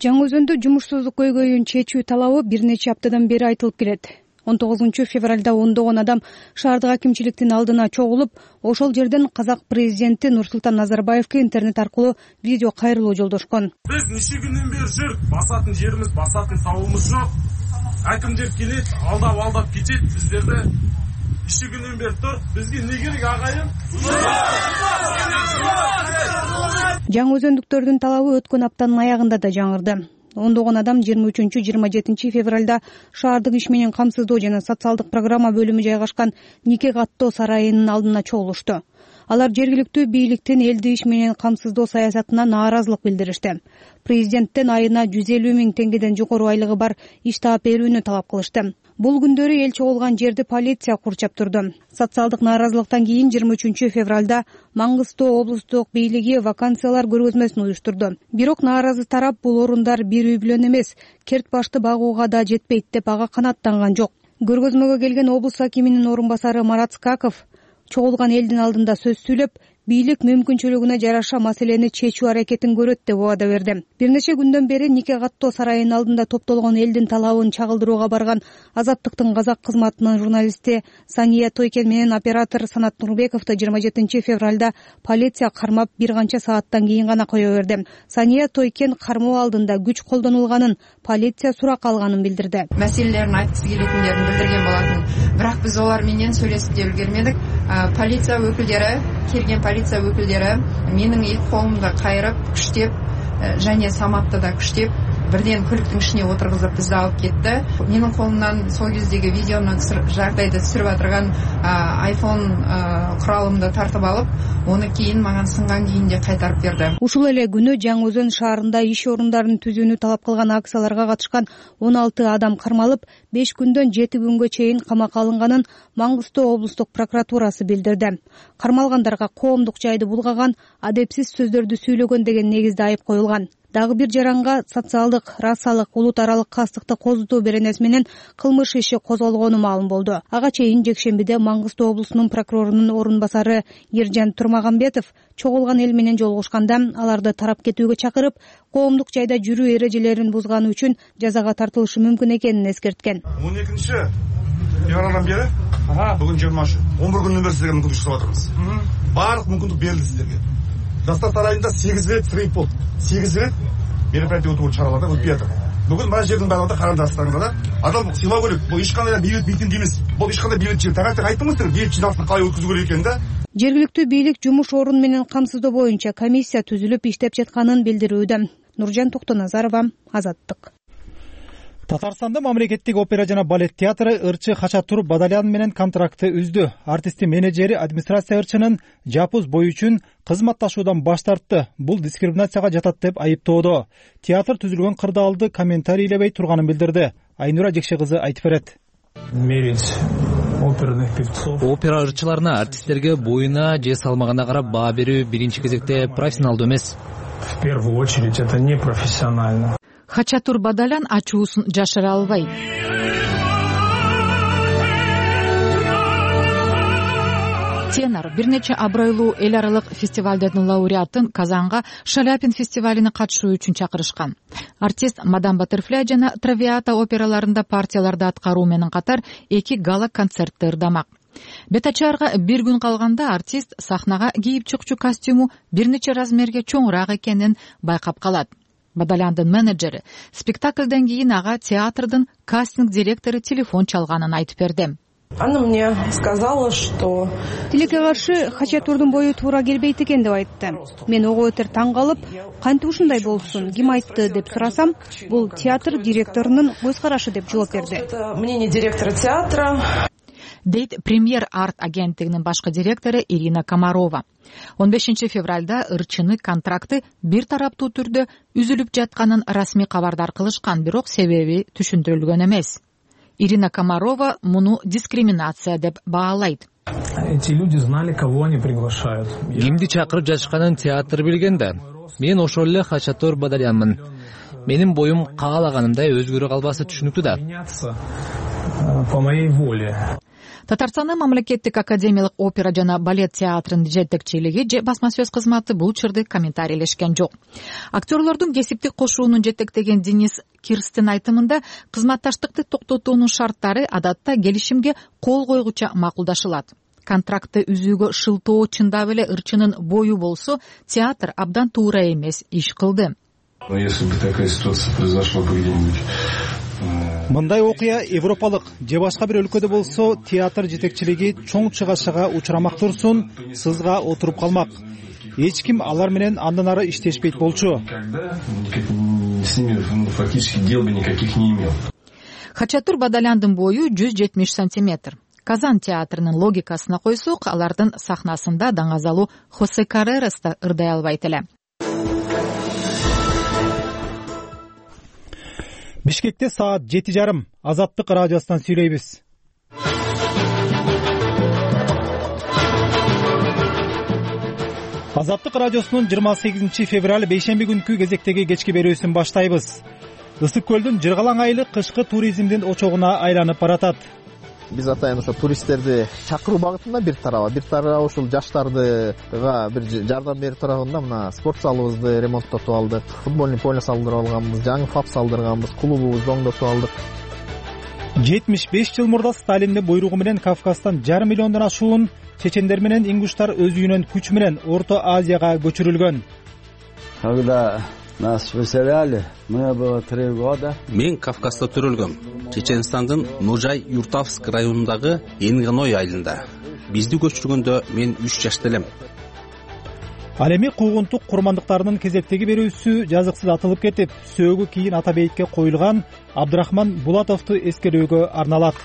Жаңы-Өзөндө жумушсуздук көйгөйүн чечүү талабы бир нече аптадан бери айтылып келет. 19 февралда ондогон адам шаардык акимчиликтин алдына чогулуп, ошол жерден казак президенти Нурсултан Назарбаевке интернет аркылуу видео кайрылуу жолдошкон. Биз нече күндөн бери жүрүп, басатын жерибиз, басатын табыбыз жок. Акимдер келет, алдап кетет биздерди. Нече күндөн бери тур, бизге эмне керек агайын? Жаңы өзөндүктөрдүн талабы өткөн аптанын аягында да жаңырды. Ондогон адам 23-27 февралда шаардык иш менен камсыздоо жана социалдык программа бөлүмү жайгашкан Нике каттоо сарайынын алдына чогулушту. Алар жергиликтүү бийликтин элди иш менен камсыздоо саясатына нааразылык билдиришти. Президенттен айына 150 000 теңгеден жогору айлыгы бар иш таап берүүнү талап кылышты. Бул күндөрү эл чогулган жерди полиция курчап турду. Социалдык нааразылыктан кийин 23 февралда Маңгыстоо облустук бийлиги вакансиялар көргөзмөсүн уюштурду. Бирок нааразы тарап бул орундар бир үй бүлөнү эмес, керт башты багууга да жетпейт деп ага канааттанган жок. Көргөзмөгө келген облус акиминин орун басары Марат Скаков чогулган элдин алдында сөз сүйлөп, бийлик мүмкүнчүлүгүнө жараша маселени чечүү аракетин көрөт деп убада берди. Бир нече күндөн бери Нике каттоо сарайынын алдында топтолгон элдин талабын чагылдырууга барган Азаттыктын казак кызматынын журналисти Сания Тойкен менен оператор Санат Нурбековду 27 февралда полиция кармап бир канча сааттан кийин гана кое берди. Сания Тойкен кармоо алдында күч колдонулганын, полиция сурак алганын билдирди. Маселелерин айткысы келетиндерин билдирген болатын. Бирок биз олар менен сүйлөшүп да үлгермедик. Полиция өкүлдөрү келген полиция өкүлдөрү менин эки колумду кайрып, күчтеп және саматты да күчтеп бирден көлүктүн ичине отургузуп бизди алып кетти. Менин колумдан сол кездеги видеону жагдайды түшүрүп атырган iPhone куралымды тартып алып, оны кийин мага сынган күйүндө кайтарып берди. Ушул эле күнү Жаңы Өзөн шаарында иш орундарын түзүүнү талап кылган акцияларга катышкан 16 адам кармалып, 5 күндөн 7 күнгө чейин камакка алынганын Маңгыстоо облустук прокуратурасы билдирди. Кармалгандарга коомдук жайды булгаган, адепсиз сөздөрдү сүйлөгөн деген негизде айып коюлган. Дагы бир жаранга социалдык, расалык, улут аралык кастыкты козутуу беренеси менен кылмыш иши козголгону маалым болду. Ага чейин жекшембиде Маңгыстоо облусунун прокурорунун орун басары Ержан Турмагамбетов чогулган эл менен жолугушканда аларды тарап кетүүгө чакырып, коомдук жайда жүрүү эрежелерин бузганы үчүн жазага тартылышы мүмкүн экенин эскерткен. 12 февралдан бери бүгүн 20 11 күндөн бери сиздерге мүмкүндүк жасап атырмыз. Баардык мүмкүндүк берилди сиздерге. Жастар сарайында 8 рет срейп болду. 8 рет мероприятие өтүү чараларда өтпөй атат. Бүгүн мына жердин баардыгында карандырасыздар да. Адам сыйлоо керек. Бул эч кандай бейбит митинг эмес. Бул эч кандай бейбит жыйын. Таңертең айттыңыздар, бейбит жыйналышты калай өткүзүү керек экенин да. Жергиликтүү бийлик жумуш орун менен камсыздоо боюнча комиссия түзүлүп иштеп жатканын билдирүүдө. Нуржан Токтоназарова, Азаттык. Татарстанда мамлекеттик опера жана балет театры ырчы Хачатур Бадалян менен контрактты үздү. Артисттин менеджери администрация ырчынын жапуз бою үчүн кызматташуудан баш тартты. Бул дискриминацияга жатат деп айыптоодо. Театр түзүлгөн кырдаалды комментарийлебей турганын билдирди. Айнура Жекше кызы айтып берет. Опера ырчыларына, артисттерге боюна же салмагына карап баа берүү биринчи кезекте профессионалдуу эмес. В первую очередь это не профессионально. Хачатур Бадалян ачуусун жашыра албайт. Тенор бир нече абройлуу эл аралык фестивалдардын лауреатын Казанга Шаляпин фестивалине катышуу үчүн чакырышкан. Артист Мадам Баттерфляй жана Травиата операларында партияларды аткаруу менен катар 2 гала концертти ырдамак. Бет ачаарга бир күн калганда артист сахнага кийип чыкчу костюму бир нече размерге чоңураак экенин байкап калат. Бадаляндын менеджери спектакльден кийин ага театрдын кастинг директору телефон чалганын айтып берди. Она мне сказала, что тилекке каршы Хачатурдун бою туура келбейт экен деп айтты. Мен ого өтөр таң калып, кантип ушундай болсун, ким айтты деп сурасам, бул театр директорунун көз карашы деп жооп берди. Мнение директора театра, дейт Премьер арт агенттигинин башкы директору Ирина Комарова. 15 февралда ырчыны контракты бир тараптуу түрдө үзүлүп жатканын расмий кабардар кылышкан, бирок себеби түшүндүрүлгөн эмес. Ирина Комарова муну дискриминация деп баалайт. Эти люди знали, кого они приглашают. Кимди чакырып жатышканын театр билген да. Мен ошол эле Хачатур Бадалянмын. Менин боюм каалаганымдай өзгөрө калбасы түшүнүктүү да. По моей воле. Татарстандын мамлекеттик академиялык опера жана балет театрынын жетекчилиги же басма сөз кызматы бул чырды комментарийлешкен жок. Актерлордун кесиптик кошуунун жетектеген Денис Кирстин айтымында кызматташтыкты токтотуунун шарттары адатта келишимге кол койгуча макулдашылат. Контрактты үзүүгө шылтоо чындап эле ырчынын бою болсо, театр абдан туура эмес иш кылды. Если бы такая ситуация произошла бы где-нибудь мындай окуя европалык же башка бир өлкөдө болсо, театр жетекчилиги чоң чыгашага учурамак турсун, сызга отуруп калмак. Эч ким алар менен андан ары иштешпейт болчу. С ними фактически дел бы никаких не имел. Хачатур Бадаляндын бою 170 сантиметр. Казан театрынын логикасына койсок, алардын сахнасында даңазалуу Хосе Каррерас да ырдай албайт эле. Бишкекте саат 7:30. Азаттык радиосунан сүйлөйбүз. Азаттык радиосунун 28 февраль бейшемби күнкү кезектеги кечки берүүсүн баштайбыз. Ысык көлдүн жыргалаң айылы кышкы туризмдин очогуна айланып баратат. Биз атайын ошо туристтерди чакыруу багытында бир тарабы ушул жаштардыга бир жардам берип турганда мына спорт залыбызды ремонттотуп алдык, футбольный поле салдырып алганбыз, жаңы ФАП салдырганбыз, клубубузду оңдотуп алдык. 75 жыл мурда Сталиндин буйругу менен Кавказдан 1,5 миллиондон ашуун чечендер менен ингуштар өз үйүнөн күч менен Орто Азияга көчүрүлгөн. Когда нас выселяли, мне было 3 года. Мен Кавказда төрөлгөм. Чеченстандын Ножай Юртавск районундагы Энганой айылында. Бизди көчүргөндө мен 3 жашта элем. Ал эми куугунтук курмандыктарынын кезектеги берүүсү жазыксыз атылып кетип, сөөгү кийин ата бейитке коюлган Абдрахман Булатовду эскерүүгө арналат.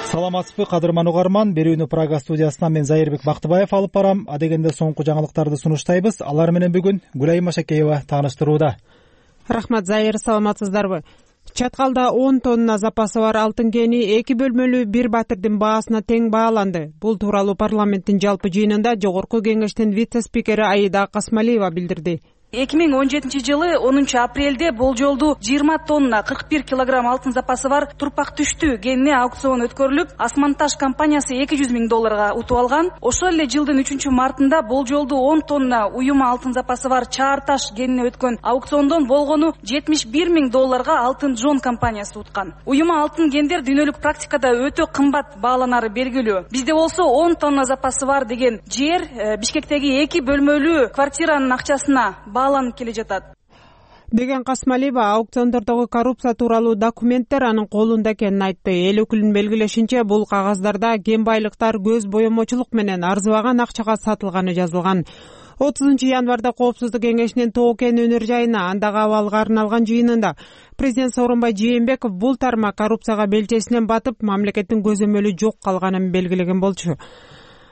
Саламатсызбы, кадырман угарман. Берүүнү Прага студиясынан мен Зайырбек Бактыбаев алып барам. Адегенде соңку жаңылыктарды сунуштайбыз. Алар менен бүгүн Гүлайым Машакеева тааныштырууда. Рахмат, Зайыр, саламатсыздарбы? Чаткалда 10 тонна запасы бар алтын кени 2 бөлмөлүү бир батирдин баасына тең бааланды. Бул тууралуу парламенттин жалпы жыйынында Жогорку кеңештин вице-спикери Аида Касмалиева билдирди. 2017 жылы 10 апрелде болжолду 20 тонна 41 килограмм алтын запасы бар турпак түштүү кенине аукцион өткөрүлүп, Асманташ компаниясы $200,000 утуп алган. Ошол эле жылдын 3 мартында болжолду 10 тонна уюма алтын запасы бар Чаарташ кенине өткөн аукциондон болгону $71,000 алтын Джон компаниясы уткан. Уюма алтын кендер дүйнөлүк практикада өтө кымбат бааланары белгилүү. Бизде болсо 10 тонна запасы бар деген жер Бишкектеги 2 бөлмөлүү квартиранын акчасына бааланып келе жатат деген Касмалиева аукциондордогу коррупция тууралуу документтер анын колунда экенин айтты. Эл өкүлүнүн белгилешинче, бул кагаздарда кен байлыктар көз боемочулук менен арзыбаган акчага сатылганы жазылган. 30 январда Коопсуздук кеңешинин Тоо кен өнөр жайына андагы абалга арналган жыйынында президент Сооронбай Жээнбеков бул тармак коррупцияга белчесинен батып, мамлекеттин көзөмөлү жок калганын белгилеген болчу.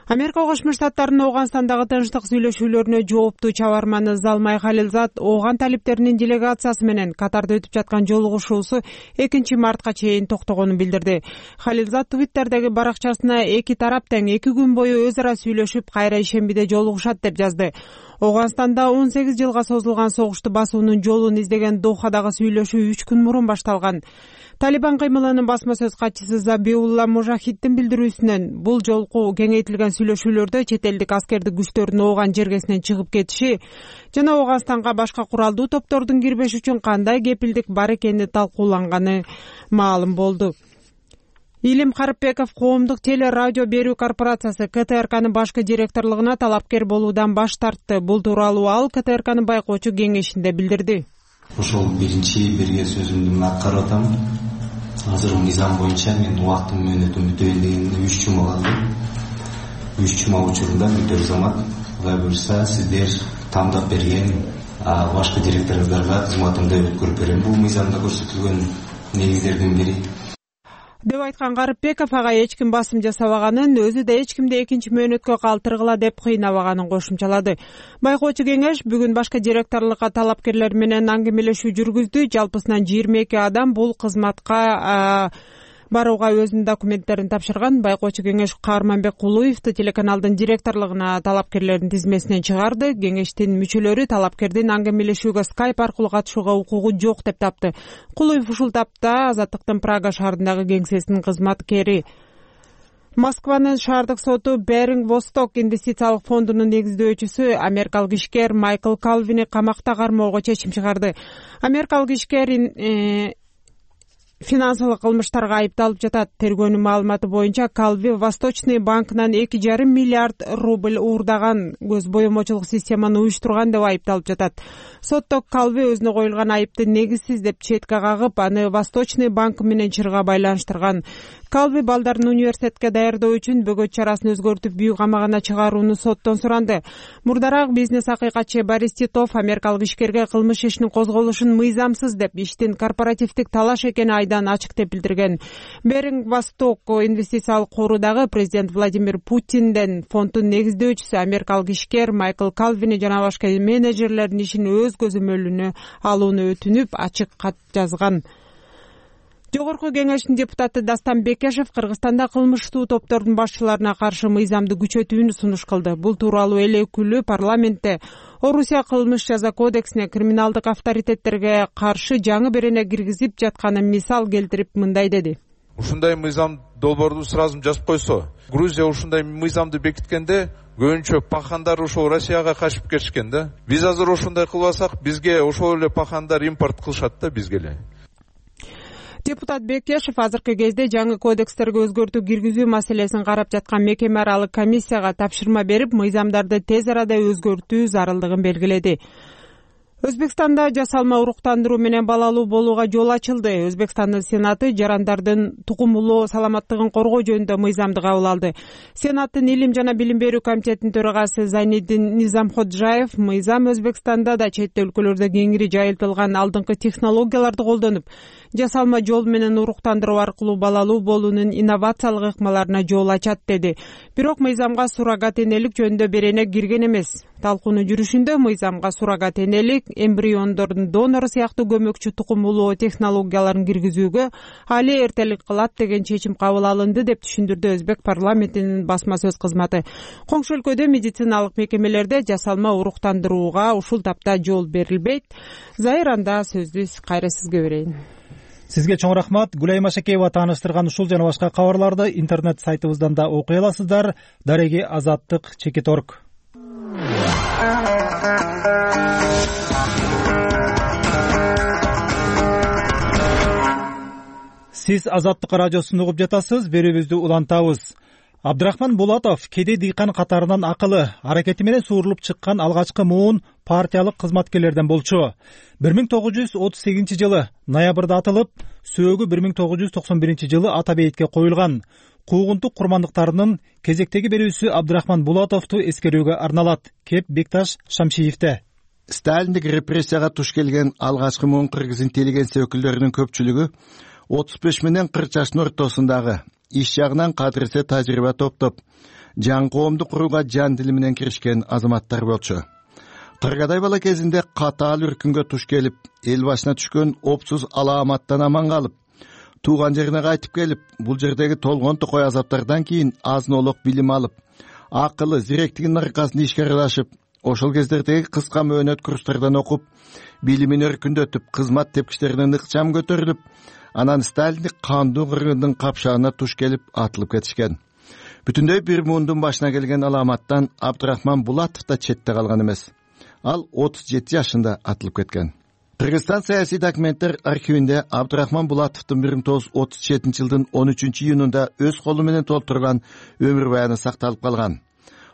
Америка Кошмо Штаттарынын Ооганстандагы тынчтык сүйлөшүүлөрүнө жооптуу чабарманы Залмай Халилзат Ооган талиптеринин делегациясы менен Катарда өтүп жаткан жолугушуусу 2 мартка чейин токтогонун билдирди. Халилзат Твиттердеги баракчасына эки тарап тең 2 күн бою өз ара сүйлөшүп, кайра ишембиде жолугушат деп жазды. Ооганстанда 18 жылга созулган согушту басуунун жолун издеген Дохадагы сүйлөшүү 3 күн мурун башталган. Талибан кыймылынын басма сөз катчысы Забиулла Мужахиддин билдирүүсүнөн бул жолку кеңейтилген сүйлөшүүлөрдө чет элдик аскердик күчтөрдүн Ооган жергесинен чыгып кетиши жана Ооганстанга башка куралдуу топтордун кирбеши үчүн кандай кепилдик бар экени талкууланганы маалым болду. Илим Карыпбеков коомдук теле радио берүү корпорациясы КТРКнын башкы директорлугуна талапкер болуудан баш тартты. Бул тууралуу ал КТРКнын байкоочу кеңешинде билдирди. Ошол биринчи берген сөзүмдү мен аткарып атам. Азыр мыйзам боюнча мен убактын мөөнөтүн бүтөйүн дегенде 3 жума калды. 3 жума учурунда бүт замат, Кудай буйрса сиздер тандап берген башкы директоруңуздарга кызматымды өткөрүп берем. Бул мыйзамда көрсөтүлгөн негиздердин бири. Деп айткан Карыпбеков ага эч ким басым жасабаганын, өзү да эч кимди экинчи мөөнөткө калтыргыла деп кыйнабаганын кошумчалады. Байкоочу кеңеш бүгүн башка директорлукка талапкерлер менен аңгемелешүү жүргүздү. Жалпысынан 22 адам бул кызматка барууга өзүнүн документтерин тапшырган. Байкоочу кеңеш Каарманбек Кулуевду телеканалдын директорлугуна талапкерлердин тизмесинен чыгарды. Кеңештин мүчөлөрү талапкердин аңгемелешүүгө Skype аркылуу катышууга укугу жок деп тапты. Кулуев ушул тапта Азаттыктын Прага шаарындагы кеңсесинин кызматкери. Москванын шаардык соту Беринг Восток инвестициялык фондунун негиздөөчүсү америкалык ишкер Майкл Калвини камакта кармоого чечим чыгарды. Америкалык ишкер финансылык кылмыштарга айыпталып жатат. Тергөөнүн маалыматы боюнча Калви Восточный банкынан 2,5 миллиард рубль уурдаган, көз боемочулук системаны уюштурган деп айыпталып жатат. Сотто Калви өзүнө коюлган айыпты негизсиз деп четке кагып, аны Восточный банк менен чырга байланыштырган. Калви балдарын университетке даярдоо үчүн бөгөт чарасын өзгөртүп бүү камагына чыгарууну соттон суранды. Мурдараак бизнес акыйкатчы Борис Титов америкалык ишкерге кылмыш ишинин козголушун мыйзамсыз деп, иштин корпоративдик талаш экени айдан ачык деп билдирген. Беринг Восток инвестициялык кору дагы президент Владимир Путинден фонддун негиздөөчүсү америкалык ишкер Майкл Калвини жана башка менеджерлердин ишин өз көзөмөлүнө алууну өтүнүп, ачык кат жазган. Жогорку кеңештин депутаты Дастан Бекешев Кыргызстанда кылмыштуу топтордун башчыларына каршы мыйзамды күчөтүүнү сунуш кылды. Бул тууралуу эл өкүлү парламентте Орусия кылмыш жаза кодексине криминалдык авторитеттерге каршы жаңы берене киргизип жатканын мисал келтирип мындай деди. Ушундай мыйзам долбоорду сразу жазып койсо, Грузия ушундай мыйзамды бекиткенде көбүнчө пахандар ошол Россияга качып кетишкен да. Биз азыр ошондой кылбасак, бизге ошол эле пахандар импорт кылышат да, бизге эле. Депутат Бекешев азыркы кезде жаңы кодекстерге өзгөртүү киргизүү маселесин карап жаткан мекеме аралык комиссияга тапшырма берип, мыйзамдарды тез арада өзгөртүү зарылдыгын белгиледи. Өзбекстанда жасалма уруктандыруу менен балалуу болууга жол ачылды. Өзбекстандын Сенаты жарандардын тукумулуу саламаттыгын коргоо жөнүндө мыйзамды кабыл алды. Сенаттын Илим жана билим берүү комитетинин төрагасы Зайниддин Низамходжаев мыйзам Өзбекстанда да чет өлкөлөрдө кеңири жайылтылган алдыңкы технологияларды колдонуп, жасалма жол менен уруктандыруу аркылуу балалуу болуунун инновациялык ыкмаларына жол ачат деди. Бирок мыйзамга суррогат энелик жөнүндө берене кирген эмес. Талкуунун жүрүшүндө мыйзамга суррогат энелик, эмбриондордун донору сыяктуу көмөкчү тукумулуу технологияларын киргизүүгө али эртелик кылат деген чечим кабыл алынды деп түшүндүрдү Өзбек парламентинин басма сөз кызматы. Коңшу өлкөдө медициналык мекемелерде жасалма уруктандырууга ушул тапта жол берилбейт. Зайранда сөздү кайра сизге берейин. Сизге чоң рахмат. Гүлайым Ашакеева тааныштырган ушул жана башка кабарларды интернет сайтыбыздан да окуй аласыздар. Дареги Азаттык _org. Сиз Азаттык радиосун угуп жатасыз. Берүүбүздү улантабыз. Абдрахман Булатов кедей дыйкан катарынан акылы, аракети менен суурулуп чыккан алгачкы муун партиялык кызматкерлерден болчу. 1938-жылы ноябрда атылып, сөөгү 1991-жылы ата бейитке коюлган. Куугунтук курмандыктарынын кезектеги берүүсү Абдрахман Булатовду эскерүүгө арналат. Кеп Бекташ Шамшиевде. Сталиндик репрессияга туш келген алгачкы муун кыргыз интеллигенция өкүлдөрүнүн көпчүлүгү 35 менен 40 жаштын ортосундагы иш жагынан кадырсе тажрыйба топтоп, жаңы коомду курууга жан дили менен киришкен азаматтар болчу. Кыргадай бала кезинде катаал үркүнгө туш келип, эл башына түшкөн опсуз алааматтан аман калып, тууган жерине кайтып келип, бул жердеги толгон токой азаптардан кийин азын-олок билим алып, акылы, зиректигинин аркасында ишке аралашып, ошол кездердеги кыска мөөнөт курстардан окуп, билимин өркүндөтүп, кызмат тепкичтеринен ыкчам көтөрүлүп, анан Сталиндик кандуу кыргындын капшагына туш келип атылып кетишкен. Бүтүндөй бир муундун башына келген аламаттан Абдрахман Булатов да четте калган эмес. Ал 37 жашында атылып кеткен. Кыргызстан саясий документтер архивинде Абдрахман Булатовдун 1937-жылдын 13-июнунда өз колу менен толтурган өмүр баяны сакталып калган.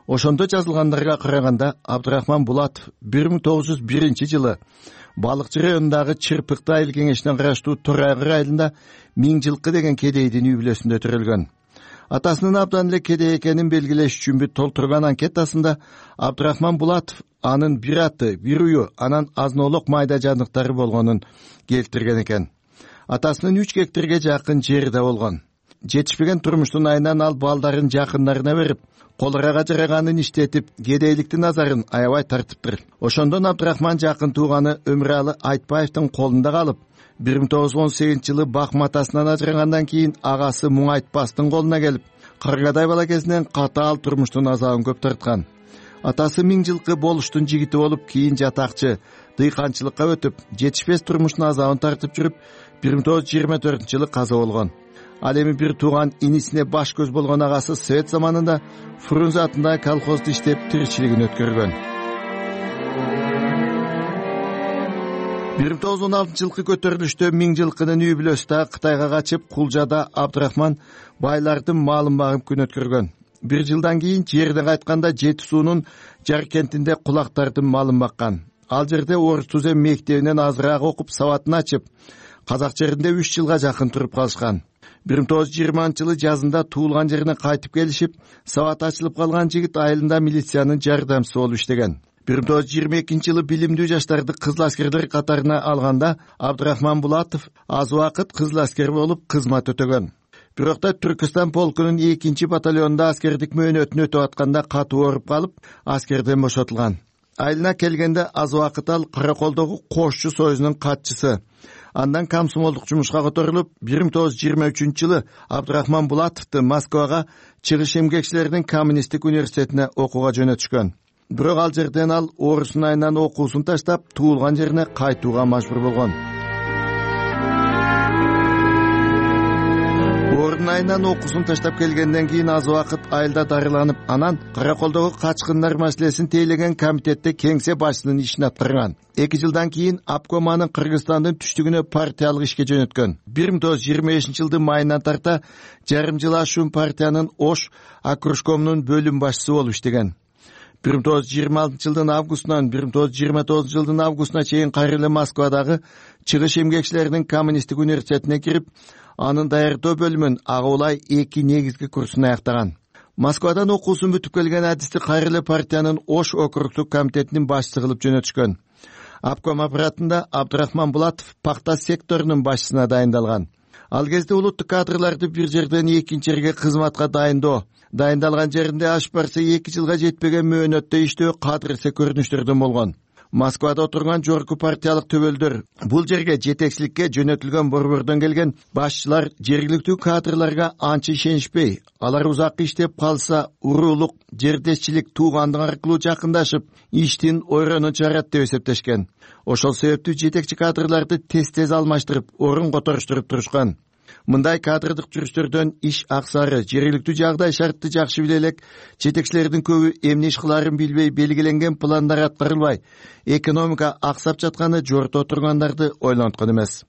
Ошондо жазылгандарга караганда Абдрахман Булатов 1901-жылы Балыкчы районундагы Чырпыкты айыл кеңешине караштуу Торайгыр айылында Миңжылкы деген кедейдин үй бүлөсүндө төрөлгөн. Атасынын абдан эле кедей экенин белгилеш үчүн толтурган анкетасында Абдрахман Булатов анын бир аты, бир ую, анан азын-олок майда жандыктары болгонун келтирген экен. Атасынын 3 гектарга жакын жери да болгон. Жетишпеген турмуштун айынан ал балдарын жакындарына берип, колорага жараганын иштетип, кедейликтин назарын аябай тартыптыр. Ошондон Абдрахман жакын тууганы Өмүралы Айтбаевдин колунда калып, 1918-жылы бак матасынан ажырагандан кийин агасы Муңайтпастын колуна келип, каргадай бала кезинен катаал турмуштун азабын көп тарткан. Атасы 1000 жылкы болуштун жигити болуп, кийин жатакчы, дыйканчылыкка өтүп, жетишпес турмуштун азабын тартып жүрүп, 1924-жылы каза болгон. Ал эми бир тууган инисине баш көз болгон агасы Совет заманында Фрунзе атындагы колхозду иштеп тиричилигин өткөргөн. 1916-жылкы көтөрүлүштө 1000 жылкынын үй бүлөсү да Кытайга качып, Кулжада Абдрахман байлардын малын багып күн өткөргөн. 1 жылдан кийин жерден кайтканда Жети суунун Жаркентинде кулактардын малын баккан. Ал жерде орус түзем мектебинен азыраак окуп, сабатын ачып, казак жеринде 3 жылга жакын туруп калышкан. 1920-жылы жазында туулган жерине кайтып келишип, сабат ачылып калган жигит айылында милициянын жардамчысы болуп иштеген. 1922-жылы билимдүү жаштарды кызыл аскерлер катарына алганда Абдрахман Булатов аз убакыт кызыл аскер болуп кызмат өтөгөн. Бирок да Түркистан полкунун 2 батальонунда аскердик мөөнөтүн өтүп атканда катуу ооруп калып, аскерден бошотулган. Айылына келгенде аз убакыт ал Караколдогу Кошчу союзунун катчысы. Андан комсомолдук жумушка которулуп, 1923-жылы Абдрахман Булатовду Москвага чыгыш эмгекчилеринин коммунисттик университетине окууга жөнөтүшкөн. Бирок ал жерден ал орустун айынан окуусун таштап, туулган жерине кайтууга мажбур болгон. Ордун айынан окуусун таштап келгенден кийин аз убакыт айылда дарыланып, анан Караколдогу качкындар маселесин тейлеген комитетте кеңсе башчысынын ишин аткарган. 2 жылдан кийин обком анын Кыргызстандын түштүгүнө партиялык ишке жөнөткөн. 1925-жылдын майынан тарта жарым жыл ашуун партиянын Ош окружкомунун бөлүм башчысы болуп иштеген. 1926-жылдын августунан 1929-жылдын августуна чейин кайра эле Москвадагы чыгыш эмгекчилеринин коммунисттик университетине кирип, анын даярдоо бөлүмүн агуулай 2 негизги курсун аяктаган. Москвадан окуусун бүтүп келген адисти кайра эле партиянын Ош округдук комитетинин башчысы кылып жөнөтүшкөн. Обком аппаратында Абдрахман Булатов пакта секторунун башчысына дайындалган. Ал кезде улуттук кадрларды бир жерден экинчи жерге кызматка дайындалган жеринде аш барса 2 жылга жетпеген мөөнөттө иштөө кадырсе көрүнүштөрдөн болгон. Москвада отурган жогорку партиялык төбөлдөр бул жерге жетекчиликке жөнөтүлгөн борбордон келген башчылар жергиликтүү кадрларга анча ишенишпей, алар узак иштеп калса уруулук, жердешчилик, туугандык аркылуу жакындашып, иштин ойронун чыгарат деп эсептешкен. Ошол себептүү жетекчи кадрларды тез алмаштырып, орун которуштуруп турушкан. Мындай кадрдык жүрүштөрдөн иш аксары, жергиликтүү жагдай шартты жакшы биле элек, жетекчилердин көбү эмне иш кылаарын билбей, белгиленген пландар аткарылбай, экономика аксап жатканы жорто тургандарды ойлонткон эмес.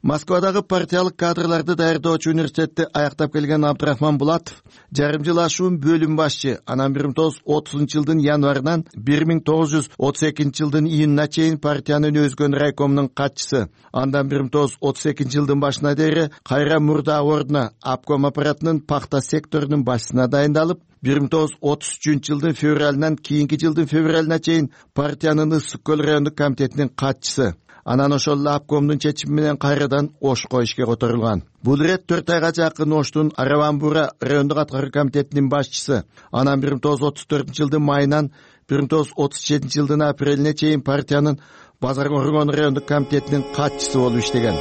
Москвадагы партиялык кадрларды даярдоочу университетти аяктап келген Абдрахман Булатов жарым жыл ашуун бөлүм башчы, анан 1930-жылдын январынан 1932-жылдын июнуна чейин партиянын өзгөн райкомунун катчысы, андан 1932-жылдын башына дейре кайра мурда ордуна обком аппаратынын пакта секторунун башчысына дайындалып, 1933-жылдын февралынан кийинки жылдын февралына чейин партиянын Ысык көл райондук комитетинин катчысы. Анан ошол эле обкомдун чечими менен кайрадан Ошко ишке которулган. Бул ирет 4 айга жакын Оштун Араван-Бура райондук аткаруу комитетинин башчысы. Анан 1934-жылдын майынан 1937-жылдын апрелине чейин партиянын Базар Оргон райондук комитетинин катчысы болуп иштеген.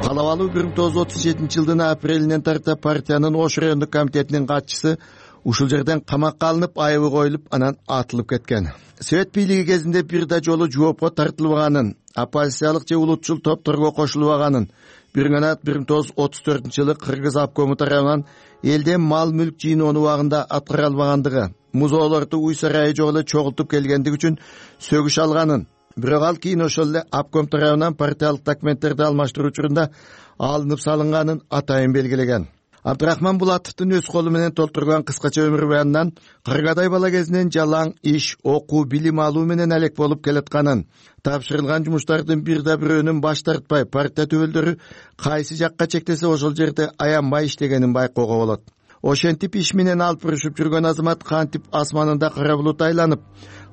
Калабалуу 1937-жылдын апрелинен тарта партиянын Ош райондук комитетинин катчысы ушул жерден камакка алынып, айыбы коюлуп, анан атылып кеткен. Совет бийлиги кезинде бир да жолу жоопко тартылбаганын, оппозициялык же улутчул топторго кошулбаганын, бир гана 1934-жылы Кыргыз обкому тарабынан элден мал-мүлк жыйноонун убагында аткара албагандыгы, музоолорду уй сарайы жок эле чогултуп келгендиги үчүн сөгүш алганын, бирок ал кийин ошол эле обком тарабынан партиялык документтерди алмаштыруу учурунда алынып салынганын атайын белгилеген. Абдрахман Булатовдун өз колу менен толтурган кыскача өмүр баянынан кыргадай бала кезинен жалаң иш, окуу, билим алуу менен алек болуп келатканын, тапшырылган жумуштардын бир да бирөөнүн баш тартпай, партия төбөлдөрү кайсы жакка чектесе ошол жерде аянбай иштегенин байкоого болот. Ошентип иш менен алып урушуп жүргөн азамат кантип асманында кара булут айланып,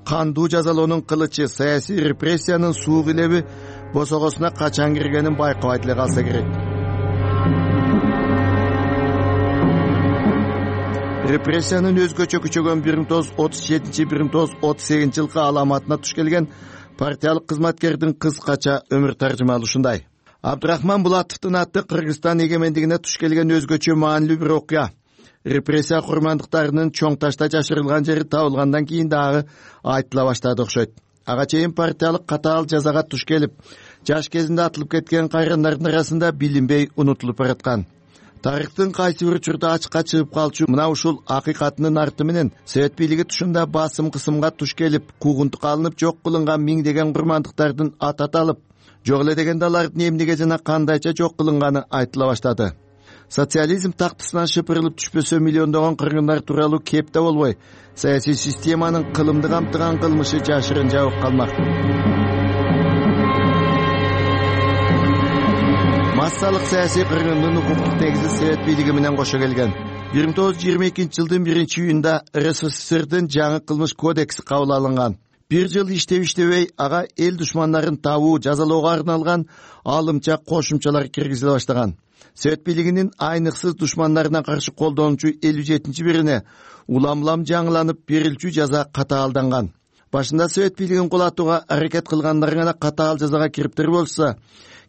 кандуу жазалоонун кылычы, саясий репрессиянын суук илеби босогосуна качан киргенин байкабай деле калса керек. Репрессиянын өзгөчө күчөгөн 1937-1938 жылкы аламатына туш келген партиялык кызматкердин кыскача өмүр таржымалы ушундай. Абдрахман Булатовдун аты Кыргызстан эгемендигине туш келген өзгөчө маанилүү бир окуя. Репрессия курмандыктарынын чоң ташта жашырылган жери табылгандан кийин дагы айтыла баштады окшойт. Ага чейин партиялык катаал жазага туш келип, жаш кезинде атылып кеткен кайрандардын арасында билинбей унутулуп бараткан. Тарыхтын кайсы бир учурда ачыкка чыгып калчу мына ушул акыйкатынын арты менен Совет бийлиги тушунда басым кысымга туш келип, куугунтукка алынып жок кылынган миңдеген курмандыктардын аты аталып, жок эле дегенде алардын эмнеге жана кандайча жок кылынганы айтыла баштады. Социализм тактысынан шыпырылып түшпөсө миллиондогон кыргындар тууралуу кеп да болбой, саясий системанын кылымды камтыган кылмышы жашырын жабык калмак. Массалык саясий кыргындын укуктук негизи Совет бийлиги менен кошо келген. 1922 жылдын 1-июнунда РСФСРдин жаңы кылмыш кодекси кабыл алынган. Бир жыл иштебей ага эл душмандарын табуу, жазалоого арналган алымча кошумчалар киргизиле баштаган. Совет бийлигинин айныксыз душмандарына каршы колдонуучу 57-бирине улам-улам жаңыланып берилчү жаза катаалданган. Башында Совет бийлигин кулатууга аракет кылгандар гана катаал жазага кириптир болсо,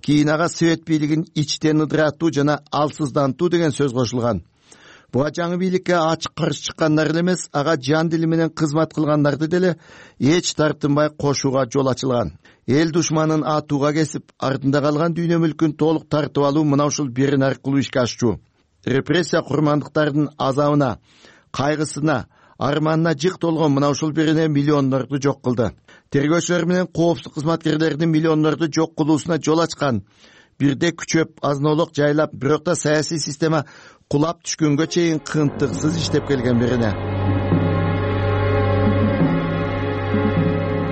кийин ага Совет бийлигин ичтен ыдыратуу жана алсыздантуу деген сөз кошулган. Буга жаңы бийликке ачык каршы чыккандар эмес, ага жан дили менен кызмат кылгандарды деле эч тартынбай кошууга жол ачылган. Эл душманын атууга кесип, артында калган дүйнө мүлкүн толук тартып алуу мына ушул берин аркылуу ишке ашчу. Репрессия курмандыктардын азабына, кайгысына, арманына жык толгон мына ушул берине миллиондорду жок кылды. Тергөөчүлөр менен коопсуз кызматкерлердин миллиондорду жок кылуусуна жол ачкан. Бирде күчөп, азнолук жайлап, бирок да саясий система кулап түшкөнгө чейин кынтыксыз иштеп келген берине.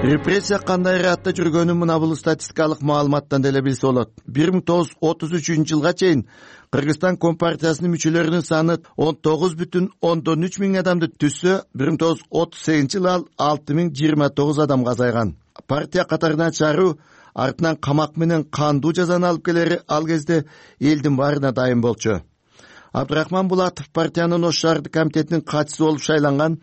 Репрессия кандай ыраатта жүргөнүн мына бул статистикалык маалыматтан деле билсе болот. 1933 жылга чейин Кыргызстан Компартиясынын мүчөлөрүнүн саны 19,3 миң адамды түзсө, 1938 жылы ал 6029 адамга азайган. Партия катарынан чыгаруу, артынан камак менен кандуу жазаны алып келери ал кезде элдин баарына дайым болчу. Абдрахман Булатов партиянын Ош шаардык комитетинин катчысы болуп шайланган.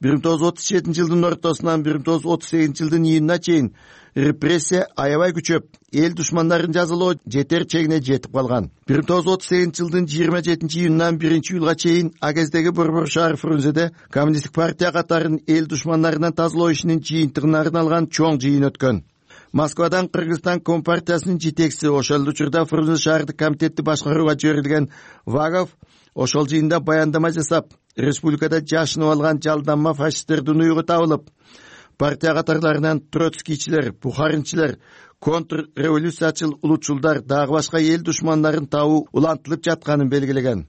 1937 жылдын ортосунан 1938 жылдын июнуна чейин репрессия аябай күчөп, эл душмандарын жазалоо жетер чегине жетип калган. 1938 жылдын 27 июнунан 1-июлга чейин Агездеги Борбор шаар Фрунзеде Коммунисттик партия катарын эл душмандарынан тазалоо ишинин жыйынтыгына арналган чоң жыйын өткөн. Москвадан Кыргызстан Компартиясынын жетекчиси, ошол учурда Фрунзе шаардык комитетти башкарууга жиберилген Вагов ошол жыйында баяндама жасап, республикада жашынып алган жалданма фашисттердин уюгу табылып, партия катарларынан троцкийчилер, бухаринчилер, контрреволюциячыл улутчулдар, дагы башка эл душмандарын табуу улантылып жатканын белгилеген.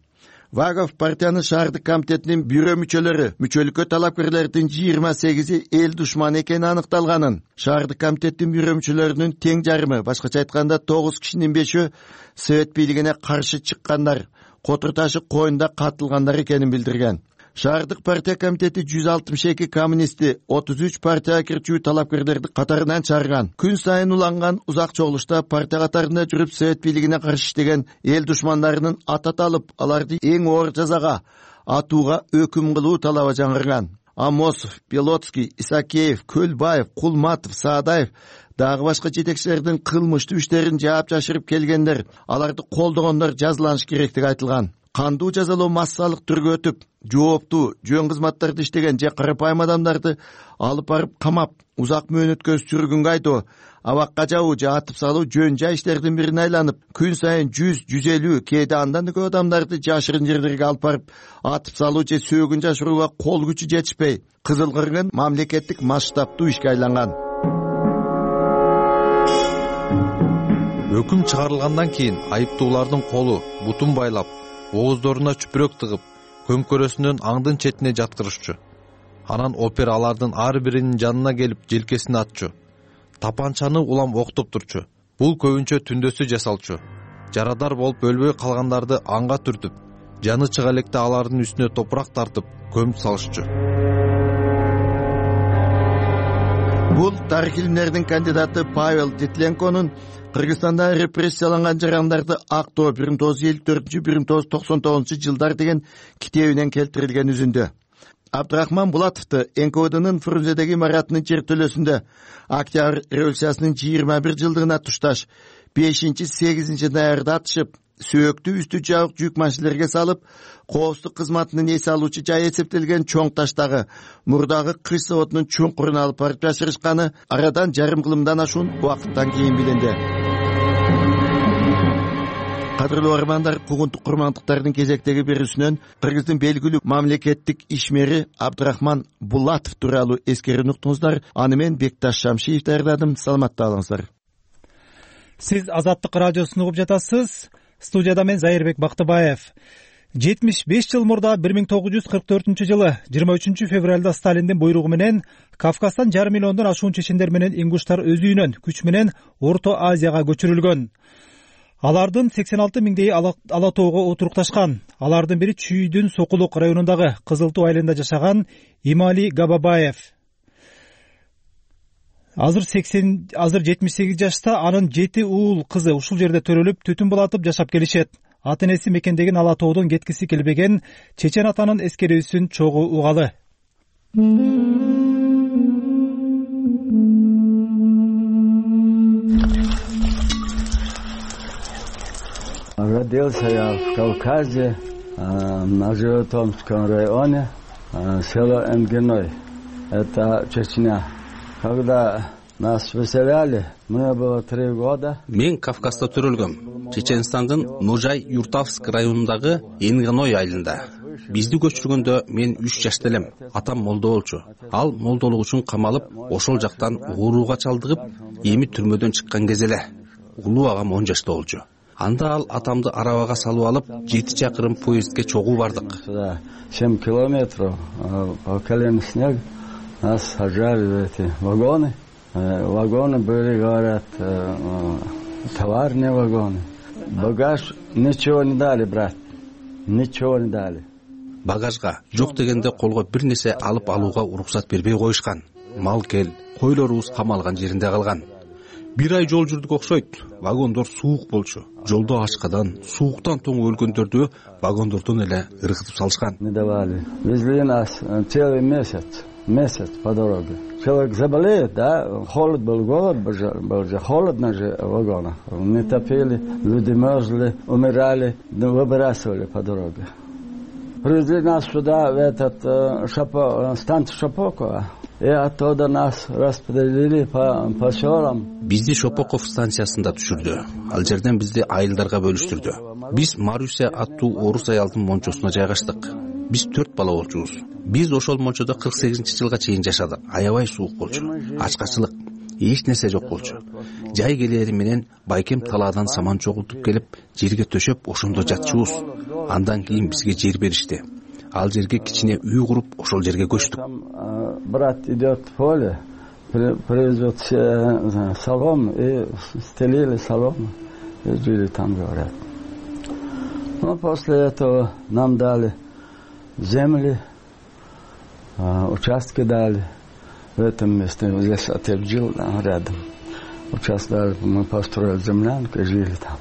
Вагов партиянын шаардык комитетинин бюро мүчөлүккө талапкерлердин 28-и эл душманы экени аныкталганын, шаардык комитеттин бюро мүчөлөрүнүн тең жарымы, башкача айтканда 9 кишинин 5-өө Совет бийлигине каршы чыккандар, Котур ташы коюнда катылгандар экенин билдирген. Шаардык партия комитети 162 коммунисти, 33 партияга кирчүү талапкерлерди катарынан чыгарган. Күн сайын уланган узак чогулушта партия катарында жүрүп Совет бийлигине каршы иштеген эл душмандарынын аты аталып, аларды эң оор жазага атууга өкүм кылуу талабы жаңырган. Амосов, Белоцкий, Исакеев, Көлбаев, Кулматов, Саадаев дагы башка жетекчилердин кылмыштуу иштерин жаап жашырып келгендер, аларды колдогондор жазаланыш керектиги айтылган. Кандуу жазалоо массалык түргө өтүп, жооптуу, жөн кызматтарды иштеген же карапайым адамдарды алып барып камап, узак мөөнөткө сүргүнгө айдоо, абакка жабуу же атып салуу жөн жай иштердин бирине айланып, күн сайын 100-150, кээде андан да көп адамдарды жашырын жерлерге алып барып атып салуу же сөөгүн жашырууга кол күчү жетишпей, кызыл кыргын мамлекеттик масштабтуу ишке айланган. Өкүм чыгарылгандан кийин айыптуулардын колу, бутун байлап, ооздоруна чүпүрөк тыгып, көмкөрөсүнөн аңдын четине жаткырышчу. Анан опер алардын ар биринин жанына келип желкесине атчу. Тапанчаны улам октоп турчу. Бул көбүнчө түндөсү жасалчу. Жарадар болуп өлбөй калгандарды анга түртүп, жаны чыга электе алардын үстүнө топурак тартып, көмүп салышчу. Бул тарых илимдеринин кандидаты Павел Титленконун Кыргызстанда репрессияланган жарандарды актоо 1954-1999 жылдар деген китебинен келтирилген үзүндө. Абдрахман Булатовду НКВДнын Фрунзедеги имаратынын чертөлөсүндө Октябрь революциясынын 21 жылдыгына тушташ 5-8 ноябрда атышып, сөөктүү үстү жабык жүк машинелерге салып, коопсуздук кызматынын эс алуучу жай эсептелген чоң таштагы мурдагы кыш заводунун чуңкуруна алып барып жашырышканы арадан жарым кылымдан ашуун убакыттан кийин билинди. Кадырлуу армандар, куугунтук курмандыктардын кезектеги берүүсүнөн Кыргыздын белгилүү мамлекеттик ишмери Абдрахман Булатов тууралуу эскерип уктуңуздар. Аны мен Бекташ Шамшиев даярдадым. Саламатта болуңуздар. Сиз Азаттык радиосун угуп жатасыз. Студияда мен Зайырбек Бактыбаев. 75 жыл мурда 1944 23 февралда Сталиндин буйругу менен Кавказдан жарым миллиондон ашуун чечендер менен ингуштар өз үйүнөн күч менен Орто Азияга көчүрүлгөн. Алардын 86 миңдей ала тоого отурукташкан. Алардын бири Чүйдүн Сокулук районундагы Кызыл Тоо айылында жашаган Имали Габабаев. Азыр 78 жашта, анын 7 уул кызы ушул жерде төрөлүп, түтүн булатып жашап келишет. Ата энеси мекендеген ала тоодон кеткиси келбеген чечен атанын эскерүүсүн чогуу угалы. Родился я в Кавказе, на Животомском районе, село Энгиной. Это Чечня. Когда нас выселяли, мне было 3 года. Мен Кавказда төрөлгөм. Чеченстандын Ножай Юртавск районундагы Энгиной айылында. Бизди көчүргөндө мен 3 жашта элем. Атам молдо болчу. Ал молдолук үчүн камалып, ошол жактан ооруга чалдыгып, эми түрмөдөн чыккан кез эле. Улуу агам 10 жашта болчу. Анда ал атамды арабага салып алып, 7 чакырым поездге чогуу бардык. 7 километров по колено снег. Нас сажали в эти вагоны. Вагоны были, говорят, товарные вагоны. Багаж ничего не дали, брат. Ничего не дали. Багажга жок дегенде колго бир нерсе алып алууга уруксат бербей коюшкан. Мал кел, койлорубуз камалган жеринде калган. 1 ай жол жүрдүк окшойт. Вагондор суук болчу. Жолдо ачкадан, сууктан тоң өлгөндөрдү вагондордон эле ыргытып салышкан. Не давали. Везли нас целый месяц по дороге. Человек заболеет, да, холод был, голод был же, холодно же в вагонах. Не топили, люди мерзли, умирали, выбрасывали по дороге. Привезли нас сюда, в этот станцию Шапокова, и оттуда нас распределили по селам. Бизди Шопоков станциясында түшүрдү. Ал жерден бизди айылдарга бөлүштүрдү. Биз Маруся аттуу орус аялдын мончосуна жайгаштык. Биз 4 бала болчубуз. Биз ошол мончодо 48-жылга чейин жашадык. Аябай суук болчу. Ачкачылык, эч нерсе жок болчу. Жай келери менен байкем талаадан саман чогултуп келип, жерге төшөп, ошондо жатчубуз. Андан кийин бизге жер беришти. Ал жерге кичине үй куруп, ошол жерге көчтүк. Брат идет в поле, привезет солому и стелили солому и жили там, говорят. Но после этого нам дали земли, участки дали в этом месте. Здесь отец жил рядом. Участок дали, мы построили землянку и жили там.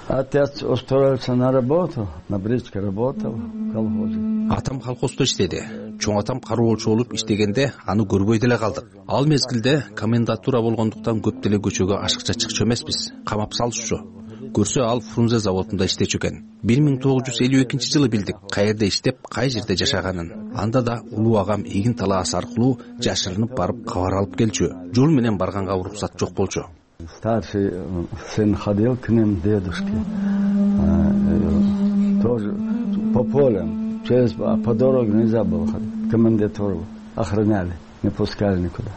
Отец устроился на работу, на бричке работал в колхозе. Атам колхоздо иштеди. Чоң атам кароолчу болуп иштегенде аны көрбөй деле калдык. Ал мезгилде комендатура болгондуктан көп деле көчөгө ашыкча чыкчу эмеспиз. Камап салышчу. Көрсө ал Фрунзе заводунда иштечү экен. 1952 билдик каерде иштеп, кай жерде жашаганын. Анда да улуу агам эгин талаасы аркылуу жашырынып барып кабар алып келчү. Жол менен барганга уруксат жок болчу. Старший сын ходил к ним, дедушке. Тоже по полям. По дороге нельзя было ходить. Комендатуру охраняли, не пускали никуда.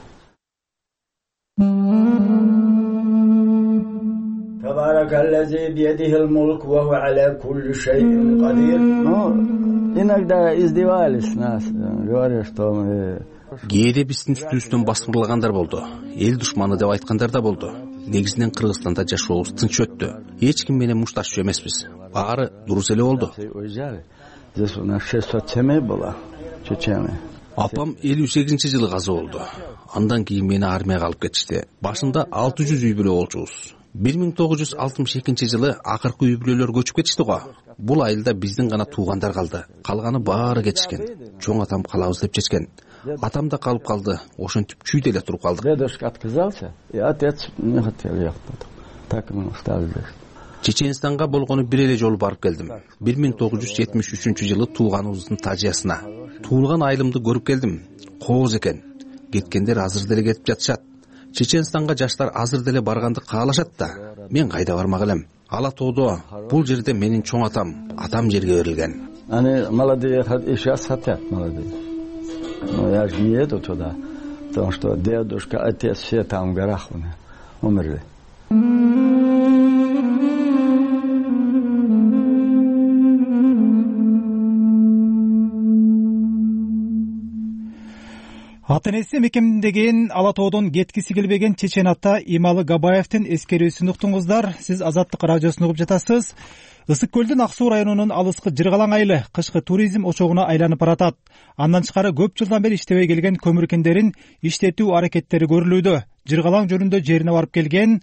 Иногда издевались нас, говоря, что мы... Кээде биздин үстүбүздөн басмырлагандар болду. Эл душманы деп айткандар да болду. Негизинен Кыргызстанда жашообуз тынч өттү. Эч ким менен мушташчу эмеспиз. Баары дурус эле болду. Здесь у нас 600 семей было, чечены. Апам 58-жылы каза болду. Андан кийин мени армияга алып кетишти. Башында 600 үй бүлө болчубуз. 1962-жылы акыркы үй бүлөлөр көчүп кетишти го. Бул айылда биздин гана туугандар калды. Калганы баары кетишкен. Чоң атам калабыз деп чечкен. Атам да калып калды. Ошентип чүйдө эле туруп калдык. Дедушка отказался, и отец не хотел ехать. Так мы остались. Чеченстанга болгону бир эле жолу барып келдим. 1973-жылы тууганыбыздын Тажиясына. Туулган айылымды көрүп келдим. Кооз экен. Кеткендер азыр деле кетип жатышат. Чеченстанга жаштар азыр деле барганды каалашат да. Мен кайда бармак элем? Ала тоодо, бул жерде менин чоң атам жерге берилген. Они молодые и сейчас хотят молодые. Но я же не еду туда, потому что дедушка, отец все там в горах умерли. Ата энеси мекемдеген Ала тоодон кеткиси келбеген чечен ата Ималы Габаевдин эскерүүсүн уктуңуздар. Сиз Азаттык радиосун угуп жатасыз. Ысык көлдүн Ак Суу районунун алыскы Жыргалаң айылы кышкы туризм очогуна айланып баратат. Андан тышкары көп жылдан бери иштебей келген көмүр кендерин иштетүү аракеттери көрүлүүдө. Жыргалаң жөнүндө жерине барып келген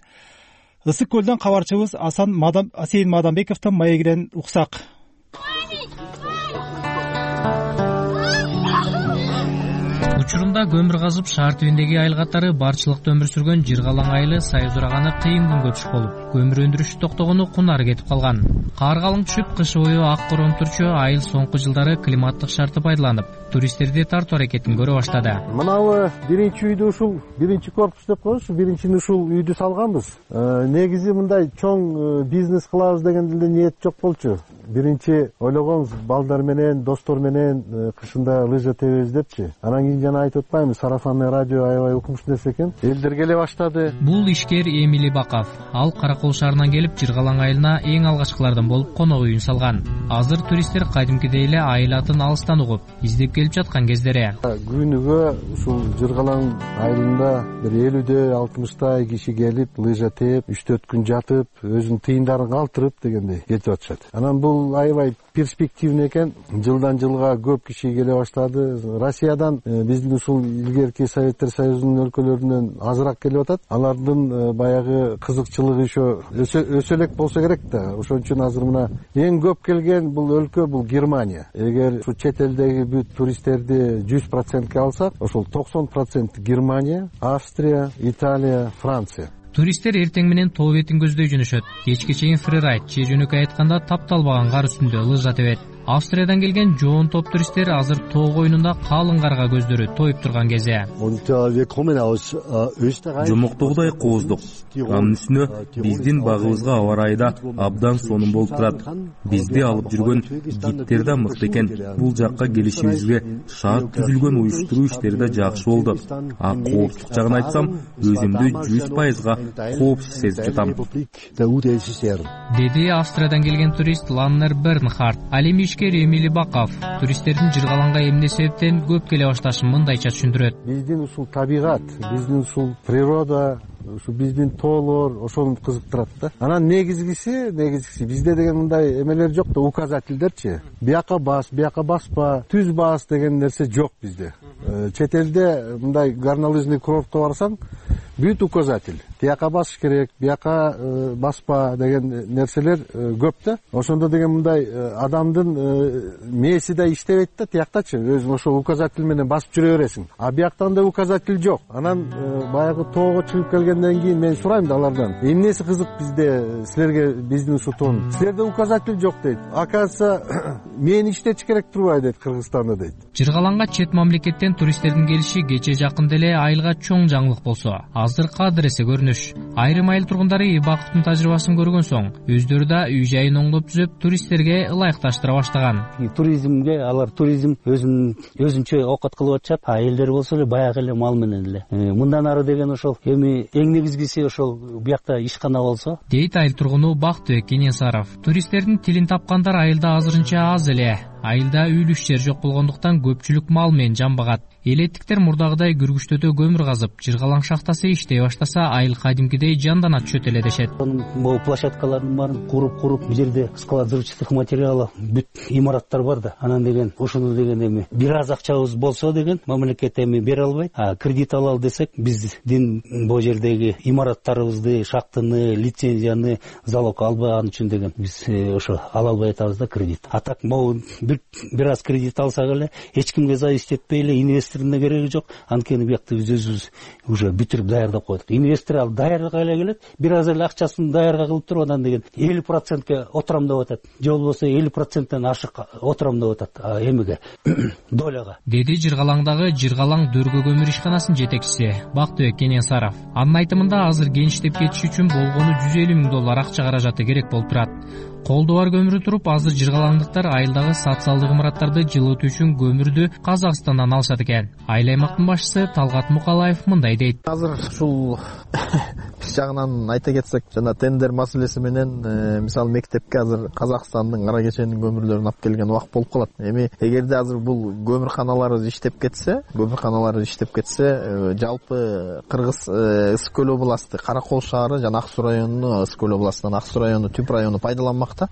Ысык көлдөн кабарчыбыз Асейин Мадамбековдун маегинен уксак. Учурунда көмүр казып шаар түбүндөгү айыл катары барчылыкта өмүр сүргөн Жыргалаң айылы сайыз ураганы кыйын күнгө түшүп болуп, көмүр өндүрүшү токтогону кунары кетип калган. Кар калың түшүп, кыш бою ак короон турчу айыл соңку жылдары климаттык шартты пайдаланып, туристтерди тартуу аракетин көрө баштады. Мынабы биринчи үйдү ушул, биринчи корпус деп коебуз, биринчини ушул үйдү салганбыз. Негизи мындай чоң бизнес кылабыз деген деле ниет жок болчу. Биринчи ойлогонбуз, балдар менен, достор менен кышында лыжа тебебиз депчи. Анан кийин жана айтып атпаймынбы, сарафанный радио аябай укмуш нерсе экен. Элдер келе баштады. Бул ишкер Эмили Баков. Ал Каракол шаарынан келип Жыргалаң айылына эң алгачкылардан болуп конок үйүн салган. Азыр туристтер кадимкидей эле айыл атын алыстан угуп, издеп келип жаткан кездери. Күнүгө ушул Жыргалаң айылында бир 50-60 киши келип, лыжа тээп, 3-4 күн жатып, өзүнүн тыйындарын калтырып дегендей кетип атышат. Анан бул аябай перспективный экен. Жылдан жылга көп киши келе баштады. Россиядан биздин ушул илгерки Советтер Союзунун өлкөлөрүнөн азыраак келип атат. Алардын баягы кызыкчылыгы өсө элек болсо керек да. Ошон үчүн азыр мына эң көп келген бул өлкө бул Германия. Эгер ушу чет элдеги бүт туристтерди 100%ке алсак, ошол 90% Германия, Австрия, Италия, Франция. Туристтер эртең менен тоо бетин көздөй жөнөшөт. Кечке чейин фрирайд, же жөнөкөй айтканда тапталбаган кар үстүндө лыжа тебет. Австриядан келген жоон топ туристтер азыр тоо койнунда калың карга көздөрү тоюп турган кезде. Жомоктогудай кооздук. Анын үстүнө биздин багыбызга аба ырайы да абдан сонун болуп турат. Бизди алып жүргөн гидтер да мыкты экен. Бул жакка келишибизге шарт түзүлгөн уюштуруу иштери да жакшы болду. А коопсуздук жагын айтсам, өзүмдү 100% коопсуз сезип жатам. Деди Австриядан келген турист Ланнер Бернхард. Алим Эмили Баков туристтердин Жыргалаңга эмне себептен көп келе башташын мындайча түшүндүрөт. Биздин ушул табигат, биздин ушул природа, ушу биздин тоолор ошону кызыктырат да. Анан негизгиси бизде деген мындай эмелер жок да, указательдерчи. Бияка баспа, түз бас деген нерсе жок бизде. Чет элде мындай горнолыжный курортко барсаң, бүт указатель. Тияка басыш керек, бияка баспа деген нерселер көп да. Ошондо деген мындай адамдын мээси да иштебейт да, тияктачы. Өзүң ошол указатель менен басып жүрө бересиң. А бияктан да указатель жок. Анан баягы тоого чыгып келгенден кийин мен сурайм да алардан. Эмнеси кызык бизде, силерге биздин ушу тоон? Силерде указатель жок дейт. Оказывается, мен иштетиш керек турбайбы дейт Кыргызстанда дейт. Жыргалаңга чет мамлекеттен туристтердин келиши кече жакын деле айылга чоң жаңылык болсо, азыр кадыр эсе көрүнүш. Айрым айыл тургундары Бакыттын тажрыйбасын көргөн соң, өздөрү да үй жайын оңдоп түзөп, туристтерге ылайыкташтыра баштаган. Туризмге алар туризм өзүнчө окат кылып атышат. Элдер болсо эле баягы эле мал менен эле. Мындан ары деген ошол эми эң негизгиси ошол биякта ишкана болсо. Дейт айыл тургуну Бактыбек Кенесаров. Туристтердин тилин тапкандар айылда азырынча аз эле. Айылда үйлүш жер жок болгондуктан көпчүлүк мал менен жамбагат. Элеттиктер мурдагыдай күргүчтөтө көмүр казып, Жыргалаң шахтасы иштей баштаса, айыл кадимкидей кичинекей жандана түшөт эле дешет. Могу площадкалардын баарын куруп бул жерде склад взрывчатых материалов бүт имараттар бар да. Анан деген ошону деген эми бир аз акчабыз болсо деген мамлекет эми бере албайт. Кредит алалы десек биздин бул жердеги имараттарыбызды, шахтаны, лицензияны залог албаган үчүн деген биз ошо ала албай атабыз да кредит. А так могу бир аз кредит алсак эле эч кимге зависить этпей эле инвестордун да кереги жок. Анткени биякта биз өзүбүз уже бүтүрүп даярдап койдук. Инвестор ал даярга эле келет, бир аз эле акчасын даярга кылып туруп анан деген 50%ке отурам деп атат. Же болбосо 50%тен ашык отурам деп атат эмеге доляга. Деди Жыргалаңдагы Жыргалаң дөргө көмүр ишканасынын жетекчиси Бактыбек Кененсаров. Анын айтымында азыр кенчтеп кетиш үчүн болгону $150,000 акча каражаты керек болуп турат. Колдо бар көмүрү туруп, азыр жыргалаңдыктар айылдагы социалдык имараттарды жылытуу үчүн көмүрдү Казакстандан алышат экен. Айыл аймактын башчысы Талгат Мукалаев мындай дейт. Азыр ушул биз жагынан айта кетсек, жана тендер маселеси менен мисалы мектепке азыр Казакстандын кара кеченин көмүрлөрүн алып келген убак болуп калат. Эми эгерде азыр бул көмүрканалар иштеп кетсе, жалпы Кыргыз Ысык көл областы, Каракол шаары жана Ак Суу районуну, Ысык көл областынан Ак Суу району, Түп району пайдаланмакта.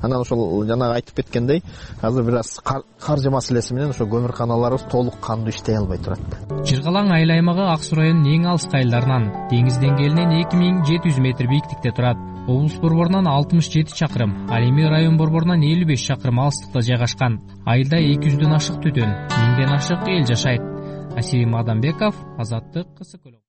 Анан ошол жанагы айтып кеткендей, азыр бир аз каржы маселеси менен ошо көмүрканаларыбыз толук кандуу иштей албай турат. Жыргалаң айыл аймагы Ак Суу районунун эң алыскы айылдарынан, деңиз деңгээлинен 2700 метр бийиктикте турат. Облус борборунан 67 чакырым, ал эми район борборунан 55 чакырым алыстыкта жайгашкан. Айылда 200дөн ашык түтүн, 1000ден ашык эл жашайт. Асим Адамбеков, Азаттык, Ысык көл.